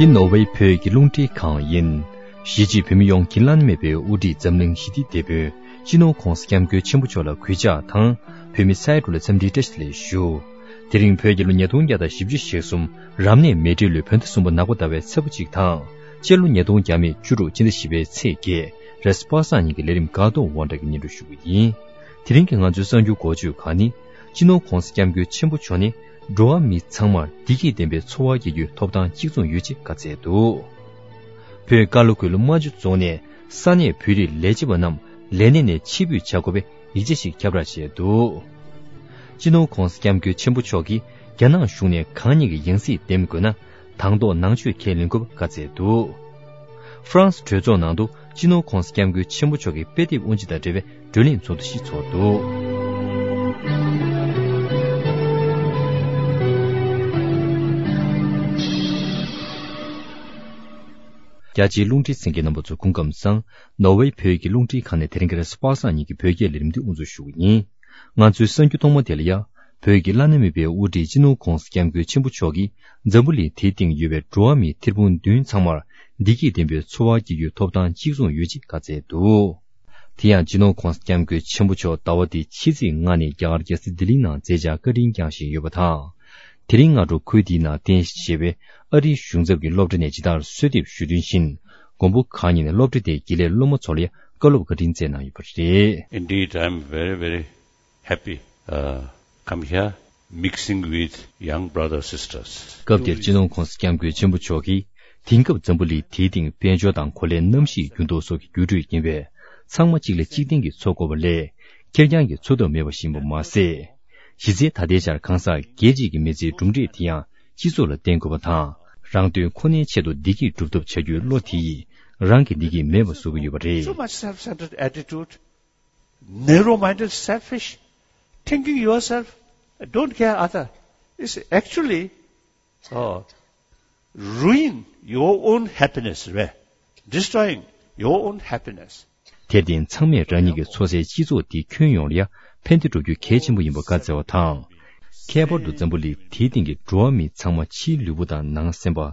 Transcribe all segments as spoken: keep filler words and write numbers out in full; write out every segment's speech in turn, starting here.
འདི་ནོར་ཝེ་བོད་ཀྱི་རླུང་འཕྲིན་ཁང་ཡིན། གཞིས་བྱེས་བོད་མི་ཡོངས་ཀྱི་བླ་ན་མེད་པའི་དབུ་ཁྲིད་འཛམ་གླིང་ཞི་བདེའི་དེད་དཔོན་སྤྱི་ནོར་༧གོང་ས་༧སྐྱབས་མགོན་ཆེན་པོ་མཆོག་ལ་གུས་ཕྱག་དང་། བོད་མི་སའི་འགྲོ་ལ་འཚམས་འདྲིའི་བཀྲ་ཤིས་བདེ་ལེགས་ཞུ། དེ་རིང་བོད་ཀྱི་ལོ་ཉིས་སྟོང་བརྒྱ་དང་བཞི་བཅུ་ཞེ་གསུམ་རབ་གནས་མེ་སྤྲེལ་ལོའི་བོད་ཟླ་གསུམ་པ་ནག་པ་ཟླ་བའི་ཚེས་པ་གཅིག་དང་། སྤྱི་ལོ་ཉིས་སྟོང་བརྒྱ་མེད་བཅུ་དྲུག་སྤྱི་ཟླ་བཞི་པའི་ཚེས་བརྒྱད་རེས་པ་སངས་ཉིན་གྱི་ལས་རིམ་སྒང་ཏོག་དབང་གྲགས་ཀྱིས་སྙན་སྒྲོན་ཞུ་གི་ཡིན། དེ་རིང་གི་ང་ཚོའི་གསར་འགྱུར་འགོ་བརྗོད་ཁག་ནི། སྤྱི་ནོར་༧གོང་ས་༧སྐྱབས་མགོན་ཆེན་པོ་མཆོག་ནི། འགྲོ་བ་མི་ཚང་མར་བདེ་སྐྱིད་ལྡན་པའི་འཚོ་བ་སྐྱེལ་རྒྱུའི་ཐོབ་ཐང་གཅིག་མཚུངས་ཡོད་ཅེས་བཀའ་སྩལ་འདུག་བོད་ཀ་ལོ་གོས་ལུ་རྨ་ཆུ་རྫོང་ནས་ས་གནས་བོད་རིགས་ལས་བྱེད་པ་རྣམས་ལས་གནས་ནས་ཕྱིར་འབུད་བྱ་དགོས་པའི་ཡིག་ཆ་ཞིག་ཁྱབ་བསྒྲགས་བྱས་འདུག་སྤྱི་ནོར་༧གོང་ས་༧སྐྱབས་མགོན་ཆེན་པོ་མཆོག་གིས་རྒྱ་ནག་གཞུང་ནས་གང་ཉིད་ཀྱི་ཡང་སྲིད་འདེམས་དགོས་ན། དང་ཐོག་ནང་ཆོས་ཁས་ལེན་དགོས་པ་བཀའ་སྩལ་འདུག་ཧྥ་རན་སི་གྲོས་ཚོགས་ནང་དུ་སྤྱི་ནོར་༧གོང་ས་༧སྐྱབས་མགོན་ཆེན་པོ་མཆོག་གི་དཔེ་དེབ་དབུ་འབྱེད་དང་འབྲེལ་བའི་བགྲོ་གླེང་ཚོགས་འདུ་ཞིག་ཚོགས་འདུག་རྒྱ་ཆེའི་རླུང་འཕྲིན་གསན་མཁན་རྣམ་པ་ཚོ་སྐུ་ཁམས་བཟང་། ནོར་ཝེ་བོད་ཀྱི་རླུང་འཕྲིན་ཁང་ནས་དེ་རིང་གི་རེས་གཟའ་པ་སངས་ཉིན་གྱི་བོད་སྐད་ལས་རིམ་འདི་དབུ་འཛུགས་ཞུ་གི་ཡིན། ང་ཚོའི་གསར་འགྱུར་ཐོག་མ་དེ་ལ་ཡ། བོད་ཀྱི་བླ་ན་མེད་པའི་དབུ་ཁྲིད་སྤྱི་ནོར་༧གོང་ས་༧སྐྱབས་མགོན་ཆེན་པོ་མཆོག་གིས་འཛམ་བུ་གླིང་དེའི་སྟེང་ཡོད་པའི་འགྲོ་བ་མིའི་ཐེར་འབུམ་བདུན་ཚང་མར་བདེ་སྐྱིད་ལྡན་པའི་འཚོ་བ་སྐྱེལ་རྒྱུའི་ཐོབ་ཐང་གཅིག་མཚུངས་ཡོད་ཅེས་བཀའ་སྩལ་འདུག་དེ་ཡང་སྤྱི་ནོར་༧གོང་ས་༧སྐྱབས་མགོན་ཆེན་པོ་མཆོག་ཟླ་བ་འདིའི་ཕྱི་ཚེས་ལྔ་ནས་རྒྱ་གར་རྒྱལ་ས་ལྡི་ལིའི་ནང་མཛད་འཆར་བཀའ་དྲིན་བསྐྱངས་བཞིན་ཡོད་པ་དང་། དེ་རིང་སྔ་དྲོ་ཁུལ་འདིའི་ནང་རྟེན་གཞི་བྱས་པའི་ཨ་རིའི་གཞུང་ཚབ་ཀྱི་སློབ་གྲྭ་ནས་ཇི་ལྟར་གསོལ་འདེབས་ཞུ་དོན་བཞིན། མགོན་པོ་གང་ཉིད་ནས་སློབ་གྲྭ་དེའི་དགེ་ལས་སློབ་མ་ཚོ་ལ་ཡང་བཀའ་སློབ་བཀའ་དྲིན་སྩལ་གནང་ཡོད་པ་རེད། Indeed, I am very, very happy, uh, come here, mixing with young brothers, sisters. སྐབས་དེར་སྤྱི་ནོར་༧གོང་ས་༧སྐྱབས་མགོན་ཆེན་པོ་མཆོག་གིས། དེང་སྐབས་འཛམ་བུ་གླིང་དེའི་སྟེང་དཔལ་འབྱོར་དང་གོ་ལའི་གནམ་གཤིས་འགྱུར་ལྡོག་སོགས་ཀྱི་འགྱུར་འགྲོས་ཡིན་པས། ཚང་མ་གཅིག་ལ་གཅིག་བརྟེན་གྱིས་འཚོ་དགོས་པ་ལས། ཁེར་རྐྱང་གིས་འཚོ་ཐབས་མེད་པ་ཞིག་ཡིན་པ་མ་ཟད། གཞི་རྩའི་ད་ལྟའི་ཆར་གང་ཟག་སྒེར་གཅིག་གི་མི་ཚེའི་གྲུབ་འབྲས་དེ་ཡང་སྤྱི་ཚོགས་ལ་བརྟེན་དགོས་པ་དང་། རང་དོན་ཁོ་ནའི་ཆེད་དུ་བདེ་སྐྱིད་སྒྲུབ་ཐབས་བྱ་རྒྱུའི་བློ་དེ་ཡིས་རང་གི་བདེ་སྐྱིད་མེད་པ་བཟོ་གི་ཡོད་པ་རེད། So much self-centered attitude, narrow-minded, selfish, thinking yourself, don't care other. It's actually, uh, ruin your own happiness, right? Destroying your own happiness. དེར་བརྟེན་ཚང་མས་རང་ཉིད་ཀྱི་འཚོ་སའི་སྤྱི་ཚོགས་འདི་ཁྱོན་ཡོངས་ལ་ཡང་ཕན་བདེ་སྒྲུབ་རྒྱུ་གལ་ཆེན་པོ་ཡིན་པ་བཀའ་སྩལ་བ་དང་། ཁྱད་པར་དུ་འཛམ་བུ་གླིང་དེའི་སྟེང་གི་འགྲོ་བ་མི་ཚང་མ་ཕྱིའི་ལུས་པོ་དང་ནང་སེམས་པ།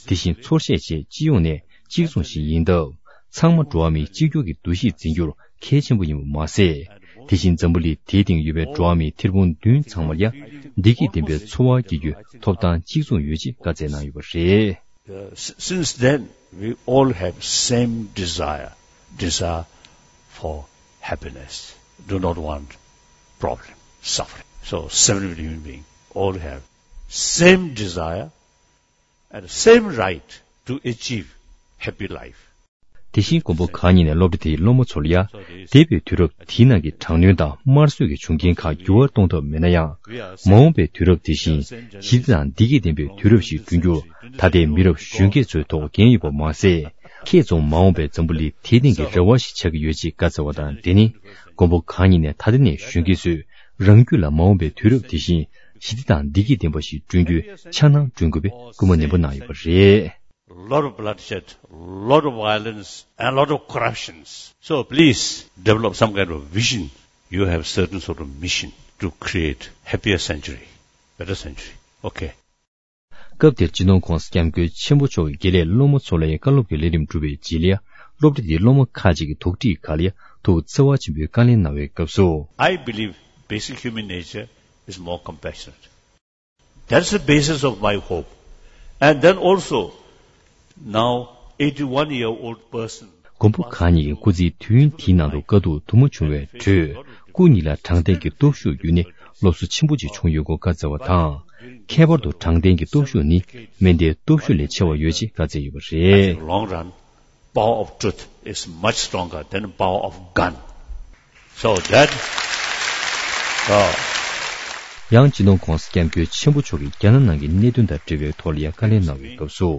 དེ་བཞིན་ཚོར་ཤེས་བཅས་སྤྱི་ཡོངས་ནས་གཅིག་མཚུངས་ཤིག་ཡིན་སྟབས། ཚང་མ་འགྲོ་བ་མིའི་གཅིག་གྱུར་གྱི་འདུ་ཤེས་འཛིན་རྒྱུར་གལ་ཆེན་པོ་ཡིན་པ་མ་ཟད། དེ་བཞིན་འཛམ་བུ་གླིང་དེའི་སྟེང་ཡོད་པའི་འགྲོ་བ་མིའི་ཐེར་འབུམ་བདུན་ཚང་མར་ཡང་བདེ་སྐྱིད་ལྡན་པའི་འཚོ་བ་སྐྱེལ་རྒྱུའི་ཐོབ་ཐང་གཅིག་མཚུངས་ཡོད་ཅེས་བཀའ་སྩལ་གནང་ཡོད་པ་རེད། Uh, s-, since then, we all have same desire, desire for happiness. Do not want problem, suffering. So, seven billion human beings all have same desire and same right to achieve happy life. དེ་བཞིན་མགོན་པོ་གང་ཉིད་ནས་སློབ་གྲྭ་དེའི་སློབ་མ་ཚོ་ལ་ཡང་། འདས་པའི་དུས་རབས་དེའི་ནང་གི་དྲག་གནོན་དང་དམར་གསོད་ཀྱི་བྱུང་རྐྱེན་ཁག་འགྱུར་བ་གཏོང་ཐབས་མེད་ན་ཡང་། མ་འོངས་པའི་དུས་རབས་དེ་བཞིན་ཞི་བདེ་དང་བདེ་སྐྱིད་ལྡན་པའི་དུས་རབས་ཤིག་བསྐྲུན་རྒྱུར་ད་ལྟའི་མི་རབས་གཞོན་སྐྱེས་ཚོའི་ཐོག་འགན་ཡོད་པ་མ་ཟད། ཁྱེད་ཚོ་མ་འོངས་པའི་འཛམ་བུ་གླིང་དེའི་སྟེང་གི་རེ་བ་ཞིག་ཆགས་ཀྱི་ཡོད་ཅེས་བཀའ་སྩལ་བ་དང་། དེ་ནི་མགོན་པོ་གང་ཉིད་ནས་ད་ལྟ་ནས་གཞོན་སྐྱེས་ཚོས་རང་རྒྱུད་ལ་མ་འོངས་པའི་དུས་རབས་དེ་བཞིན་ཞི་བདེ་དང་བདེ་སྐྱིད་ལྡན་པ་ཞིག་བསྐྲུན་རྒྱུའི་འཆར་སྣང་བསྐྲུན་དགོས་པའི་སྐུལ་མ་ནན་པོ་གནང་ཡོད་པ་རེད། Lot of bloodshed, lot of violence, and lot of corruptions. So please develop some kind of vision. You have certain sort of mission to create happier century, better century. Okay. སྐབས་དེར་སྤྱི་ནོར་༧གོང་ས་༧སྐྱབས་མགོན་ཆེན་པོ་མཆོག་གིས་དགེ་ལས་སློབ་མ་ཚོ་ལ་ཡང་བཀའ་སློབ་ཀྱི་ལས་རིམ་བསྒྲུབས་པའི་རྗེས་ལ་ཡང་སློབ་གྲྭ་དེའི་སློབ་མ་ཁག་ཅིག་གིས་དོགས་འདྲི་ཁག་ལ་ཡང་ཐུགས་བརྩེ་བ་ཆེན་པོས་བཀའ་ལན་གནང་བའི་སྐབས་སུ། I believe basic human nature is more compassionate. That's the basis of my hope. And then also, now, eighty-one year old person. མགོན་པོ་གང་ཉིད་ཀྱི་སྐུ་ཚེའི་དུས་ཡུན་དེའི་ནང་དུ་དཀའ་སྡུག་དུ་མ་བྱུང་བའི་ཁྲོད། སྐུ་ཉིད་ལ་དྲང་བདེན་གྱི་སྟོབས་ཤུགས་བརྒྱུད་ནས་སློབ་གསོ་ཆེན་པོ་ཅིག་བྱུང་ཡོད་སྐོར་བཀའ་སྩལ་བ་དང་། ཁྱད་པར་དུ་དྲང་བདེན་གྱི་སྟོབས་ཤུགས་ནི་མེ་མདའི་སྟོབས་ཤུགས་ལས་ཆེ་བ་ཡོད་ཅེས་བཀའ་སྩལ་ཡོད་པ་རེད། Long run, power of truth is much stronger than power of gun. So that, uh, ཡང་སྤྱི་ནོར་༧གོང་ས་༧སྐྱབས་མགོན་ཆེན་པོ་མཆོག་གིས་རྒྱ་ནག་ནང་གི་གནད་དོན་དང་འབྲེལ་བའི་ཐོག་ལ་ཡང་བཀའ་ལན་གནང་བའི་སྐབས་སུ།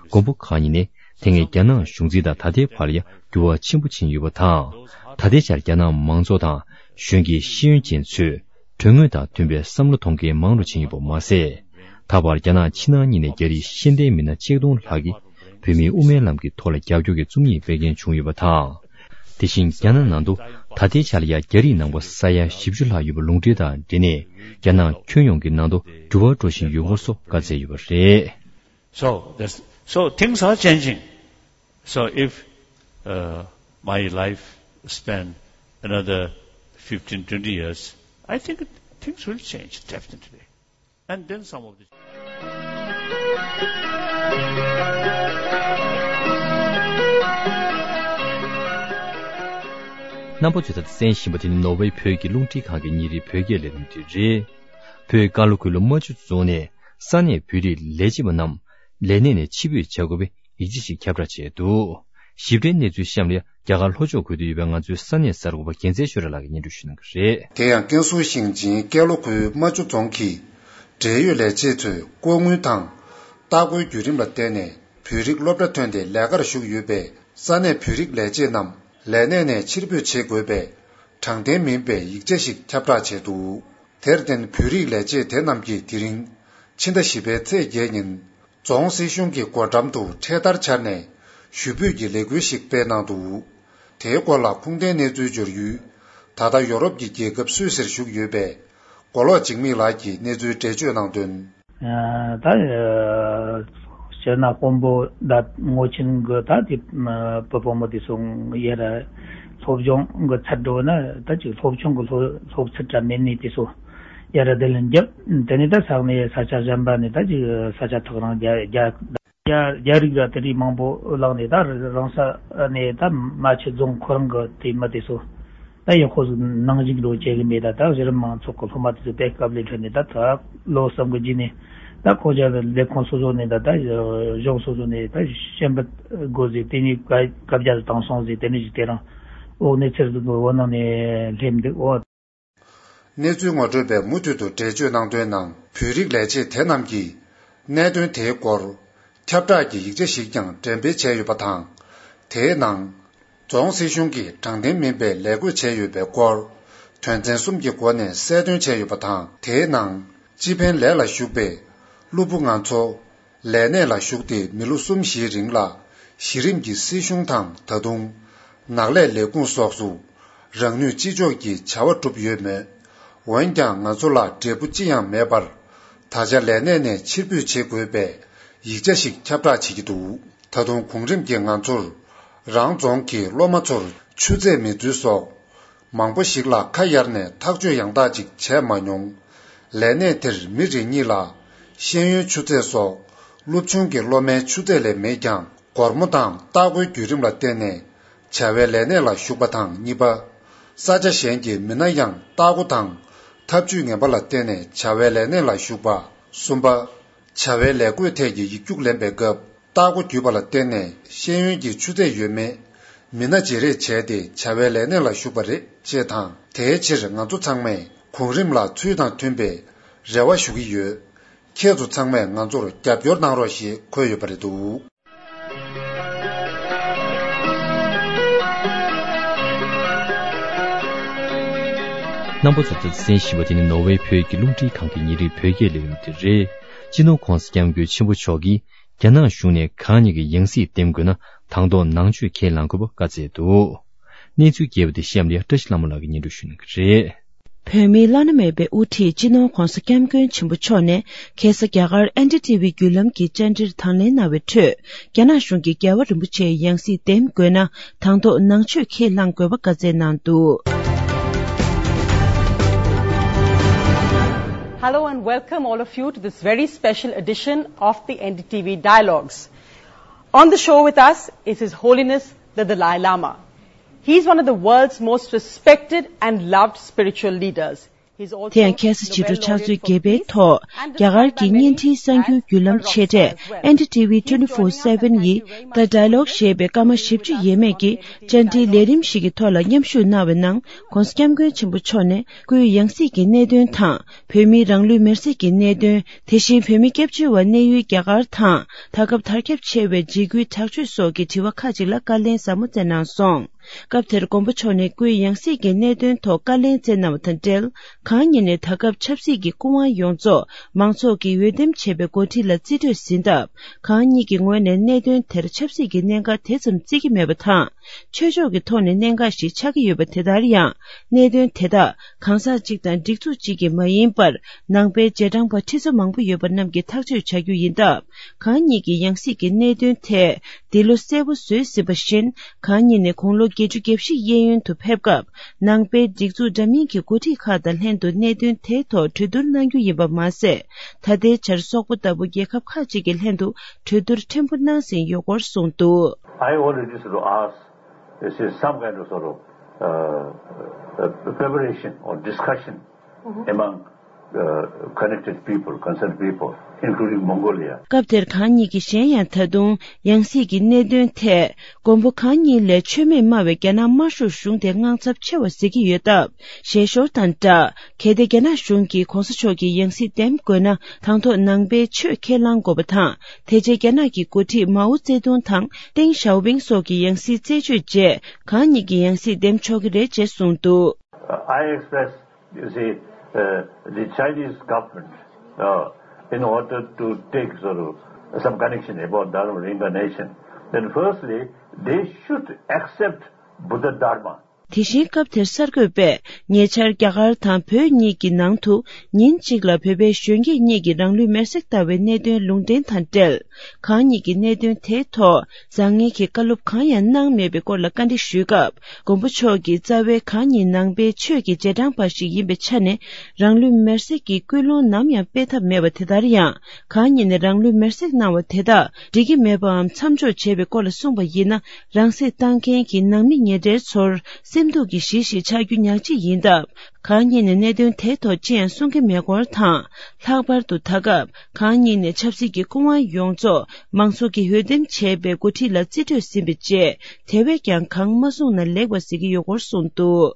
མགོན་པོ་གང་ཉིད་ནས་དེ་སྔའི་རྒྱ་ནག་གཞུང་འཛིན་དང་ད་ལྟའི་བར་ལ་ཡང་འགྱུར་བ་ཆེན་པོ་ཕྱིན་ཡོད་པ་དང་། ད་ལྟའི་ཆར་རྒྱ་ནག་མང་ཚོགས་དང་གཞོན་སྐྱེས་ཤེས་ཡོན་ཅན་ཚོས། དོན་དངོས་དང་མཐུན་པའི་བསམ་བློ་གཏོང་མཁན་མང་རུ་ཕྱིན་ཡོད་པ་མ་ཟད། ད་བར་རྒྱ་ནག་ཕྱི་ནང་གཉིས་ནས་རྒྱ་རིགས་ཤེས་ལྡན་མི་སྣ་ཆིག་སྟོང་ལྷག་གིས་བོད་མིའི་དབུ་མའི་ལམ་གྱི་ཐོག་ལ་རྒྱབ་སྐྱོར་གྱི་རྩོམ་ཡིག་སྤེལ་མཁན་བྱུང་ཡོད་པ་དང་། དེ་བཞིན་རྒྱ་ནག་ནང་དུ་ད་ལྟའི་ཆར་ཡང་རྒྱ་རིགས་ནང་པ་ས་ཡ་བཞི་བཅུ་ལྷག་ཡོད་པ་ལུང་འདྲེན་དང་འབྲེལ་ནས་རྒྱ་ནག་ཁྱོན་ཡོངས་ཀྱི་ནང་དུ་འགྱུར་བ་འགྲོ་བཞིན་ཡོད་སྐོར་སོགས་བཀའ་སྩལ་ཡོད་པ་རེད། So, that's So things are changing. So if uh, my life span another fifteen, twenty years, I think things will change, definitely. And then some of the རྣམ་པ་ཚོས་ད་ལྟ་གསན་བཞིན་པ་དེ་ནི་ནོར་ཝེ་བོད་ཀྱི་རླུང་འཕྲིན་ཁང་གི་ཉིན་རེའི་བོད་སྐད་ལས་རིམ་དེ་རེད། བོད་ཀར་ལོ་ཁུལ་རྨ་ཆུ་རྫོང་ནས་ས་གནས་བོད་རིགས་ལས་བྱེད་པ་རྣམས་ལས་གནས་ནས་ཕྱིར་འབུད་བྱ་དགོས་པའི་ཡིག་ཆ་ཞིག་ཁྱབ་བསྒྲགས་བྱས་འདུག། ཞིབ་ཕྲའི་གནས་ཚུལ་གཤམ་ལ་རྒྱ་གར་ལྷོ་ཕྱོགས་ཁུལ་དུ་ཡོད་པའི་ང་ཚོའི་ས་གནས་གསར་འགོད་པ་རྒྱལ་མཚན་ཆོས་སྒྲོན་ལགས་ཀྱིས་སྙན་སྒྲོན་ཞུ་གནང་གི་རེད། དེ་ཡང་ཀན་སུའུ་ཞིང་ཆེན་ཀན་ལྷོ་ཁུལ་རྨ་ཆུ་རྫོང་གི་འབྲེལ་ཡོད་ལས་བྱེད་ཚོས་ལྐོག་དངུལ་དང་ལྟ་སྐོར་བརྒྱུད་རིམ་ལ་བརྟེན་ནས་བོད་རིགས་སློབ་གྲྭ་ཐོན་ཏེ་ལས་ཀར་ཞུགས་ཡོད་པའི་ས་གནས་བོད་རིགས་ལས་བྱེད་རྣམས་ལས་གནས་ནས་ཕྱིར་འབུད་བྱེད་དགོས་པའི་དྲང་བདེན་མིན་པའི་ཡིག་ཆ་ཞིག་ཁྱབ་བསྒྲགས་བྱས་འདུག། དེར་བརྟེན་བོད་རིགས་ལས་བྱེད་དེ་རྣམས་ཀྱིས་དེ་རིང་ཕྱི་ཟླ་བཞི་པའི་ཚེས་བརྒྱད་ཉིན་རྫོང་སྲིད་གཞུང་གི་སྒོ་འགྲམ་དུ་འཕྲེད་དར་འཕྱར་ནས་ཞུ་འབོད་ཀྱི་ལས་འགུལ་ཞིག་སྤེལ་གནང་འདུག། དེའི་སྐོར་ལ་ཁུངས་ལྡན་གནས་ཚུལ་འབྱོར་ཡུལ་ད་ལྟ་ཡོ་རོབ་ཀྱི་རྒྱལ་ཁབ་སུད་སིར་བཞུགས་ཡོད་པའི་མགོ་ལོག་འཇིགས་མེད་ལགས་ཀྱིས་གནས་ཚུལ་འགྲེལ་བརྗོད་གནང་དོན། ད་སྤྱིར་ན་དཔོན་པོ་ད་ངོ་ཆེན་གི་ད་དེ་བུ་བུ་མོ་དེ་ཚོ་ཡར་སློབ་སྦྱོང་གི་ཚད་འགྲོ་ན་ད་ཅིག་སློབ་ཆུང་གི་སློབ་སློབ་ཚད་འདྲ་མེད་ནི་དེ་ཚོ་ཡར་བསྡད་ལེན་རྒྱབ། དེ་ནས་ད་ས་གནས་ས་ཆ་གཞན་པ་ནས་ད་ཅིག་ས་ཆ་ཐག་རིང་རྒྱ་རྒྱ་རྒྱ་རྒྱ་རིགས་ར་དེ་རིགས་མང་པོ་ལངས་ནས་ད་རང་ས་ནས་ད་རྨ་ཆུ་རྫོང་ཁོ་རང་གི་དེ་མི་དེ་ཚོ་ད་ཡག་པོ་ནང་ཞིག་འགྲོ་བྱེད་གི་མེད། ད་ད་གཞི་རིམ་མང་ཚོགས་ཀྱི་སློབ་མ་དེ་ཚོ་དཔེ་སྐབས་ལས་འཕྲོས་ནས་ད་ད་ལོ་གསུམ་གི་རྗེས་ནས་ད་ཁོང་ཅག་གི་ལས་ཁུངས་སོ་སོ་ནས་ད་ད་གཞུང་སོ་སོ་ནས་ད་ཞེན་པ་དགོས་ཟེར། དེ་ནས་བཀའ་བཀའ་རྒྱ་བཏང་སོང་ཟེར། དེ་ནས་ཞིག་དེ་རང་འོག་ནས་ཚེར་འདུག་འོ་ནང་ནས་སླེབས་འདུག་འོ། གནས་ཚུལ་ངོ་སྤྲོད་པས་མུ་མཐུད་དུ་འགྲེལ་བརྗོད་གནང་དོན་ནང་། བོད་རིགས་ལས་བྱེད་དེ་རྣམས་ཀྱིས་གནད་དོན་དེའི་སྐོར་ཁྱབ་བསྒྲགས་ཀྱི་ཡིག་ཆ་ཞིག་ཀྱང་འགྲེམས་སྤེལ་བྱས་ཡོད་པ་དང་། དེའི་ནང་། རྫོང་སྲིད་གཞུང་གིས་དྲང་བདེན་མིན་པའི་ལས་བགོས་བྱས་ཡོད་པའི་སྐོར། དོན་ཚན་གསུམ་གྱི་སྒོ་ནས་གསལ་སྟོན་བྱས་ཡོད་པ་དང་། དེའི་ནང་། སྤྱི་ཕན་ལས་ལ་ཞུགས་པའི་སློབ་བུ་ང་ཚོ། ལས་གནས་ལ་ཞུགས་ཏེ་མི་ལོ་གསུམ་བཞིའི་རིང་ལ་གཞི་རིམ་གྱི་སྲིད་གཞུང་དང་ད་དུང་ནགས་ལས་ལས་ཁུངས་སོགས་སུ་རང་ནུས་ཅི་ལྕོགས་ཀྱིས་བྱ་བ་བསྒྲུབས་ཡོད་མོད། འོན་ཀྱང་ང་ཚོ་ལ་འབྲས་བུ་ཅི་ཡང་མེད་པར་ད་ཆ་ལས་གནས་ནས་ཕྱིར་འབུད་བྱེད་དགོས་པའི་ཡིག་ཆ་ཞིག་ཁྱབ་བསྒྲགས་བྱེད་ཀྱི་འདུག། ད་དུང་གོང་རིམ་གྱིས་ང་ཚོར་རང་རྫོང་གི་སློབ་མ་ཚོར་ཆུ་ཚད་མེད་ཚུལ་སོགས། མང་པོ་ཞིག་ལ་ཁ་གཡར་ནས་ཐག་གཅོད་ཡང་དག་ཅིག་བྱས་མ་མྱོང་། ལས་གནས་དེར་མི་རེ་གཉིས་ལ་ཤེས་ཡོན་ཆུ་ཚད་སོགས་སློབ་ཆུང་གི་སློབ་མའི་ཆུ་ཚད་ལས་མེད་ཀྱང་། སྒོར་མོ་དང་ལྟ་སྐོར་བརྒྱུད་རིམ་ལ་བརྟེན་ནས་བྱ་བའི་ལས་གནས་ལ་ཞུགས་པ་དང་། གཉིས་པ། ས་ཆ་གཞན་གྱི་མི་སྣ་ཡང་ལྟ་སྐོར་དང་ཐབས་ཇུས་ངན་པ་ལ་བརྟེན་ནས་བྱ་བའི་ལས་གནས་ལ་ཞུགས་པ། གསུམ་པ། བྱ་བའི་ལས་བགོས་ཐད་ཀྱི་ཡིག་རྒྱུགས་ལེན་པའི་སྐབས། ལྟ་སྒོ་བརྒྱུད་པ་ལ་བརྟེན་ནས་ཤེས་ཡོན་གྱི་ཆུ་ཚད་ཡོད་མེད་མི་སྣ་བརྗེ་རེས་བྱས་ཏེ་བྱ་བའི་ལས་གནས་ལ་ཞུགས་པ་རེད་ཅེས་དང་། དེའི་ཕྱིར་ང་ཚོ་ཚང་མས་གོང་རིམ་ལ་ཚུལ་དང་མཐུན་པའི་རེ་བ་ཞུ་གི་ཡོད། ཁྱེད་ཚོ་ཚང་མས་ང་ཚོར་རྒྱབ་སྐྱོར་གནང་རོགས་ཞེས་འཁོད་ཡོད་པ་རེད་འདུག། རྣམ་པ་ཚོ་ད་ལྟ་གསན་བཞིན་པ་དེ་ནི་ནོར་ཝེ་བོད་ཀྱི་རླུང་འཕྲིན་ཁང་གི་ཉིན་རེའི་བོད་སྐད་ལས་རིམ་དེ་རེད། སྤྱི་ནོར་༧གོང་ས་༧སྐྱབས་མགོན་ཆེན་པོ་མཆོག་གིས་རྒྱ་ནག་གཞུང་ནས་གང་ཉིད་ཀྱི་ཡང་སྲིད་འདེམས་དགོས་ན་དང་ཐོག་ནང་ཆོས་ཁས་བླངས་དགོས་པ་བཀའ་སྩལ་འདུག། གནས་ཚུལ་རྒྱས་པ་དེ་གཤམ་ལ་བཀྲ་ཤིས་ལྷ་མོ་ལགས་ཀྱིས་སྙན་སྒྲོན་ཞུ་གནང་གི་རེད། བོད་མིའི་བླ་ན་མེད་པའི་དབུ་ཁྲིད་སྤྱི་ནོར་༧གོང་ས་༧སྐྱབས་མགོན་ཆེན་པོ་མཆོག་ནས་ཁ་སང་རྒྱ་གར་ཨེན་ཌི་ཊི་ཝི་བརྒྱུད་ལམ་གྱི་བཅར་འདྲིར་དང་ལེན་གནང་བའི་ཁྲོད། རྒྱ་ནག་གཞུང་གིས་རྒྱལ་བ་རིན་པོ་ཆེའི་ཡང་སྲིད་འདེམས་དགོས་ན་དང་ཐོག་ནང་ཆོས་ཁས་བླངས་དགོས་པ་བཀའ་སྩལ་གནང་འདུག། Hello and welcome all of you to this very special edition of the N D T V Dialogues. On the show with us is His Holiness the Dalai Lama. He's one of the world's most respected and loved spiritual leaders. དེ་ཡང་ཁ་སང་ཕྱི་དྲོ་ཕྱག་ཚོད་བརྒྱད་པའི་ཐོག་རྒྱ་གར་གྱི་བརྙན་འཕྲིན་གསར་འགྱུར་བརྒྱུད་ལམ་ཆེ་གྲས་N D T V twenty-four seven ཡི་The Dialogue ཞེས་པའི་སྐར་མ་བཞི་བཅུ་ཡས་མས་ཀྱི་བཅར་འདྲིའི་ལས་རིམ་ཞིག་གི་ཐོག་ལ་མཉམ་ཞུགས་གནང་བའི་ནང་༧གོང་ས་༧སྐྱབས་མགོན་ཆེན་པོ་མཆོག་ནས་སྐུའི་ཡང་སྲིད་ཀྱི་གནད་དོན་དང་། བོད་མིའི་རང་ལུས་མེར་སྲེག་གི་གནད་དོན། དེ་བཞིན་བོད་མི་སྐྱབས་བཅོལ་བ་གནས་ཡུལ་རྒྱ་གར་དང་། ད་སྐབས་དར་ཁྱབ་ཆེ་བའི་འཇིགས་སྐུལ་དྲག་སྤྱོད་སོགས་ཀྱི་དྲི་བ་ཁག་ཅིག་ལ་བཀའ་ལན་ཟབ་མོ་སྩལ་གནང་སོང་། སྐབས་དེར་མགོན་པོ་མཆོག་ནས་སྐུའི་ཡང་སྲིད་ཀྱི་གནད་དོན་ཐོག་བཀའ་ལན་སྩལ་གནང་བ་དང་འབྲེལ། གང་ཉིད་ནས་ད་སྐབས་ཆབ་སྲིད་ཀྱི་སྐུ་དབང་ཡོངས་རྫོགས་མང་ཚོགས་ཀྱིས་འོས་འདེམས་བྱས་པའི་འགོ་ཁྲིད་ལ་རྩིས་སྤྲོད་ཟིན་སྟབས། གང་ཉིད་ཀྱི་ངོས་ནས་གནད་དོན་དེར་ཆབ་སྲིད་ཀྱི་གནད་འགག་དེ་ཙམ་བརྩི་གི་མེད་པ་དང་། ཆོས་ཕྱོགས་ཀྱི་ཐོག་ནས་གནད་འགག་ཞིག་ཆགས་ཀྱི་ཡོད་པ་དེ་ལྟར་ཡང་། གནད་དོན་དེ་དག་གང་ཟག་གཅིག་དང་སྒྲིག་འཛུགས་གཅིག་གིས་མ་ཡིན་པར། ནང་པའི་རྗེས་འབྲང་པ་ཁྲི་ཚོ་མང་པོ་ཡོད་པ་རྣམས་ཀྱིས་ཐག་གཅོད་བྱ་རྒྱུ་ཡིན་སྟབས། གང་ཉིད་ཀྱི་ཡང་སྲིད་ཀྱི་གནད་དོན་ཐད། འདི་ལོ་གསལ་པོ་བཟོས་ཟིན་པ་བཞིན། གང་ཉིད་ནས་དགུང་ལོ་བརྒྱད་ཅུ་གྱ་བཞི་གཡས་གཡོན་དུ་ཕེབས་སྐབས། ནང་པའི་སྒྲིག་འཛུགས་འདྲ་མིན་གྱི་འགོ་ཁྲིད་ཁག་དང་ལྷན་དུ་གནད་དོན་དེའི་ཐོག་གྲོས་བསྡུར་གནང་རྒྱུ་ཡིན་པ་མ་ཟད། ད་ལྟའི་ཆར་སོག་པོ་ལྟ་བུ་རྒྱལ་ཁབ་ཁག་ཅིག་གི་ལྷན་དུ་གྲོས་བསྡུར་ཕྲན་བུ་གནང་ཟིན་ཡོད་སྐོར་གསུངས་འདུག། I already sort of asked, this is some kind of sort of uh, uh, preparation or discussion among uh, connected people, concerned people, including Mongolia. སྐབས་དེར་གང་ཉིད་ཀྱིས་གཞན་ཡང་ད་དུང་ཡང་སྲིད་ཀྱི་གནད་དོན་ཐད། མགོན་པོ་གང་ཉིད་ལས་མཆོད་མེ་སྨྲ་བའི་རྒྱ་ནག་དམར་ཤོག་གཞུང་དེ་དངངས་འཚབ་ཆེ་བ་གཟིགས་ཀྱི་ཡོད་སྟབས། ཞལ་ཤོར་དང་སྦྲགས། གལ་ཏེ་རྒྱ་ནག་གཞུང་གིས་གོང་ས་མཆོག་གི་ཡང་སྲིད་འདེམས་དགོས་ན། དང་ཐོག་ནང་པའི་ཆོས་ཁས་བླང་དགོས་པ་དང་། དེ་རྗེས་རྒྱ་ནག་གི་འགོ་ཁྲིད་མའོ་ཙེ་ཏུང་དང་ཏེང་ཞའོ་ཕིང་སོགས་ཀྱི་ཡང་སྲིད་རྩད་གཅོད་རྗེས། གང་ཉིད་ཀྱི་ཡང་སྲིད་འདེམས་ཆོག་གི་རེད་ཅེས་གསུངས་འདུག། I expressed, you see, uh, the Chinese government uh, in order to take sort of some connection about Dharma reincarnation. Then firstly, they should accept Buddha Dharma. དེ་བཞིན་སྐབས་དེར་གསར་འགོད་པས་ཉེ་ཆར་རྒྱ་གར་དང་བོད་གཉིས་ཀྱི་ནང་དུ་ཉིན་གཅིག་ལ་བོད་པའི་གཞོན་སྐྱེས་གཉིས་ཀྱིས་རང་ལུས་མེར་སྲེག་བཏང་བའི་གནད་དོན་ལུང་འདྲེན་དང་འབྲེལ། གང་ཉིད་ཀྱི་གནད་དོན་དེའི་ཐོག་བཟང་ངན་གྱི་བཀའ་སློབ་གང་ཡང་གནང་མེད་པའི་སྐོར་ལ་བཀའ་འདྲི་ཞུས་སྐབས། མགོན་པོ་མཆོག་གིས་རྩ་བའི་གང་ཉིད་ནང་པའི་ཆོས་ཀྱི་རྗེས་འབྲང་པ་ཞིག་ཡིན་པའི་ཆ་ནས། རང་ལུས་མེར་སྲེག་གི་སྐུལ་སློང་ནམ་ཡང་སྤེལ་ཐབས་མེད་པ་དེ་ལྟར་ཡང་། གང་ཉིད་ནས་རང་ལུས་མེར་སྲེག་གནང་བ་དེ་དག་འགྲིག་གི་མེད་པའམ་མཚམས་འཇོག་བྱས་པའི་སྐོར་ལ་གསུངས་པ་ཡིན་ན། རང་སྲེག་བཏང་མཁན་གྱི་ནང་མི་ཉེ་འབྲེལ་ཚོར་སེམས་སྡུག་གི་གཞི་ཞིག་ཆགས་རྒྱུ་ཉག་གཅིག་ཡིན་སྟབས། གང་ཉིད་ནས་གནད་དོན་དེའི་ཐོག་ཅི་ཡང་གསུང་གི་མེད་སྐོར་དང་། ལྷག་པར་དུ་ད་སྐབས་གང་ཉིད་ནས་ཆབ་སྲིད་ཀྱི་སྐུ་དབང་ཡོངས་རྫོགས་མང་ཚོགས་ཀྱིས་འོས་འདེམས་བྱས་པའི་འགོ་ཁྲིད་ལ་རྩིས་སྤྲོད་ཟིན་པའི་རྗེས། དེ་བས་ཀྱང་གང་མ་གསུངས་ན་ལེགས་པ་ཟེར་གྱི་ཡོད་སྐོར་གསུངས་འདུག།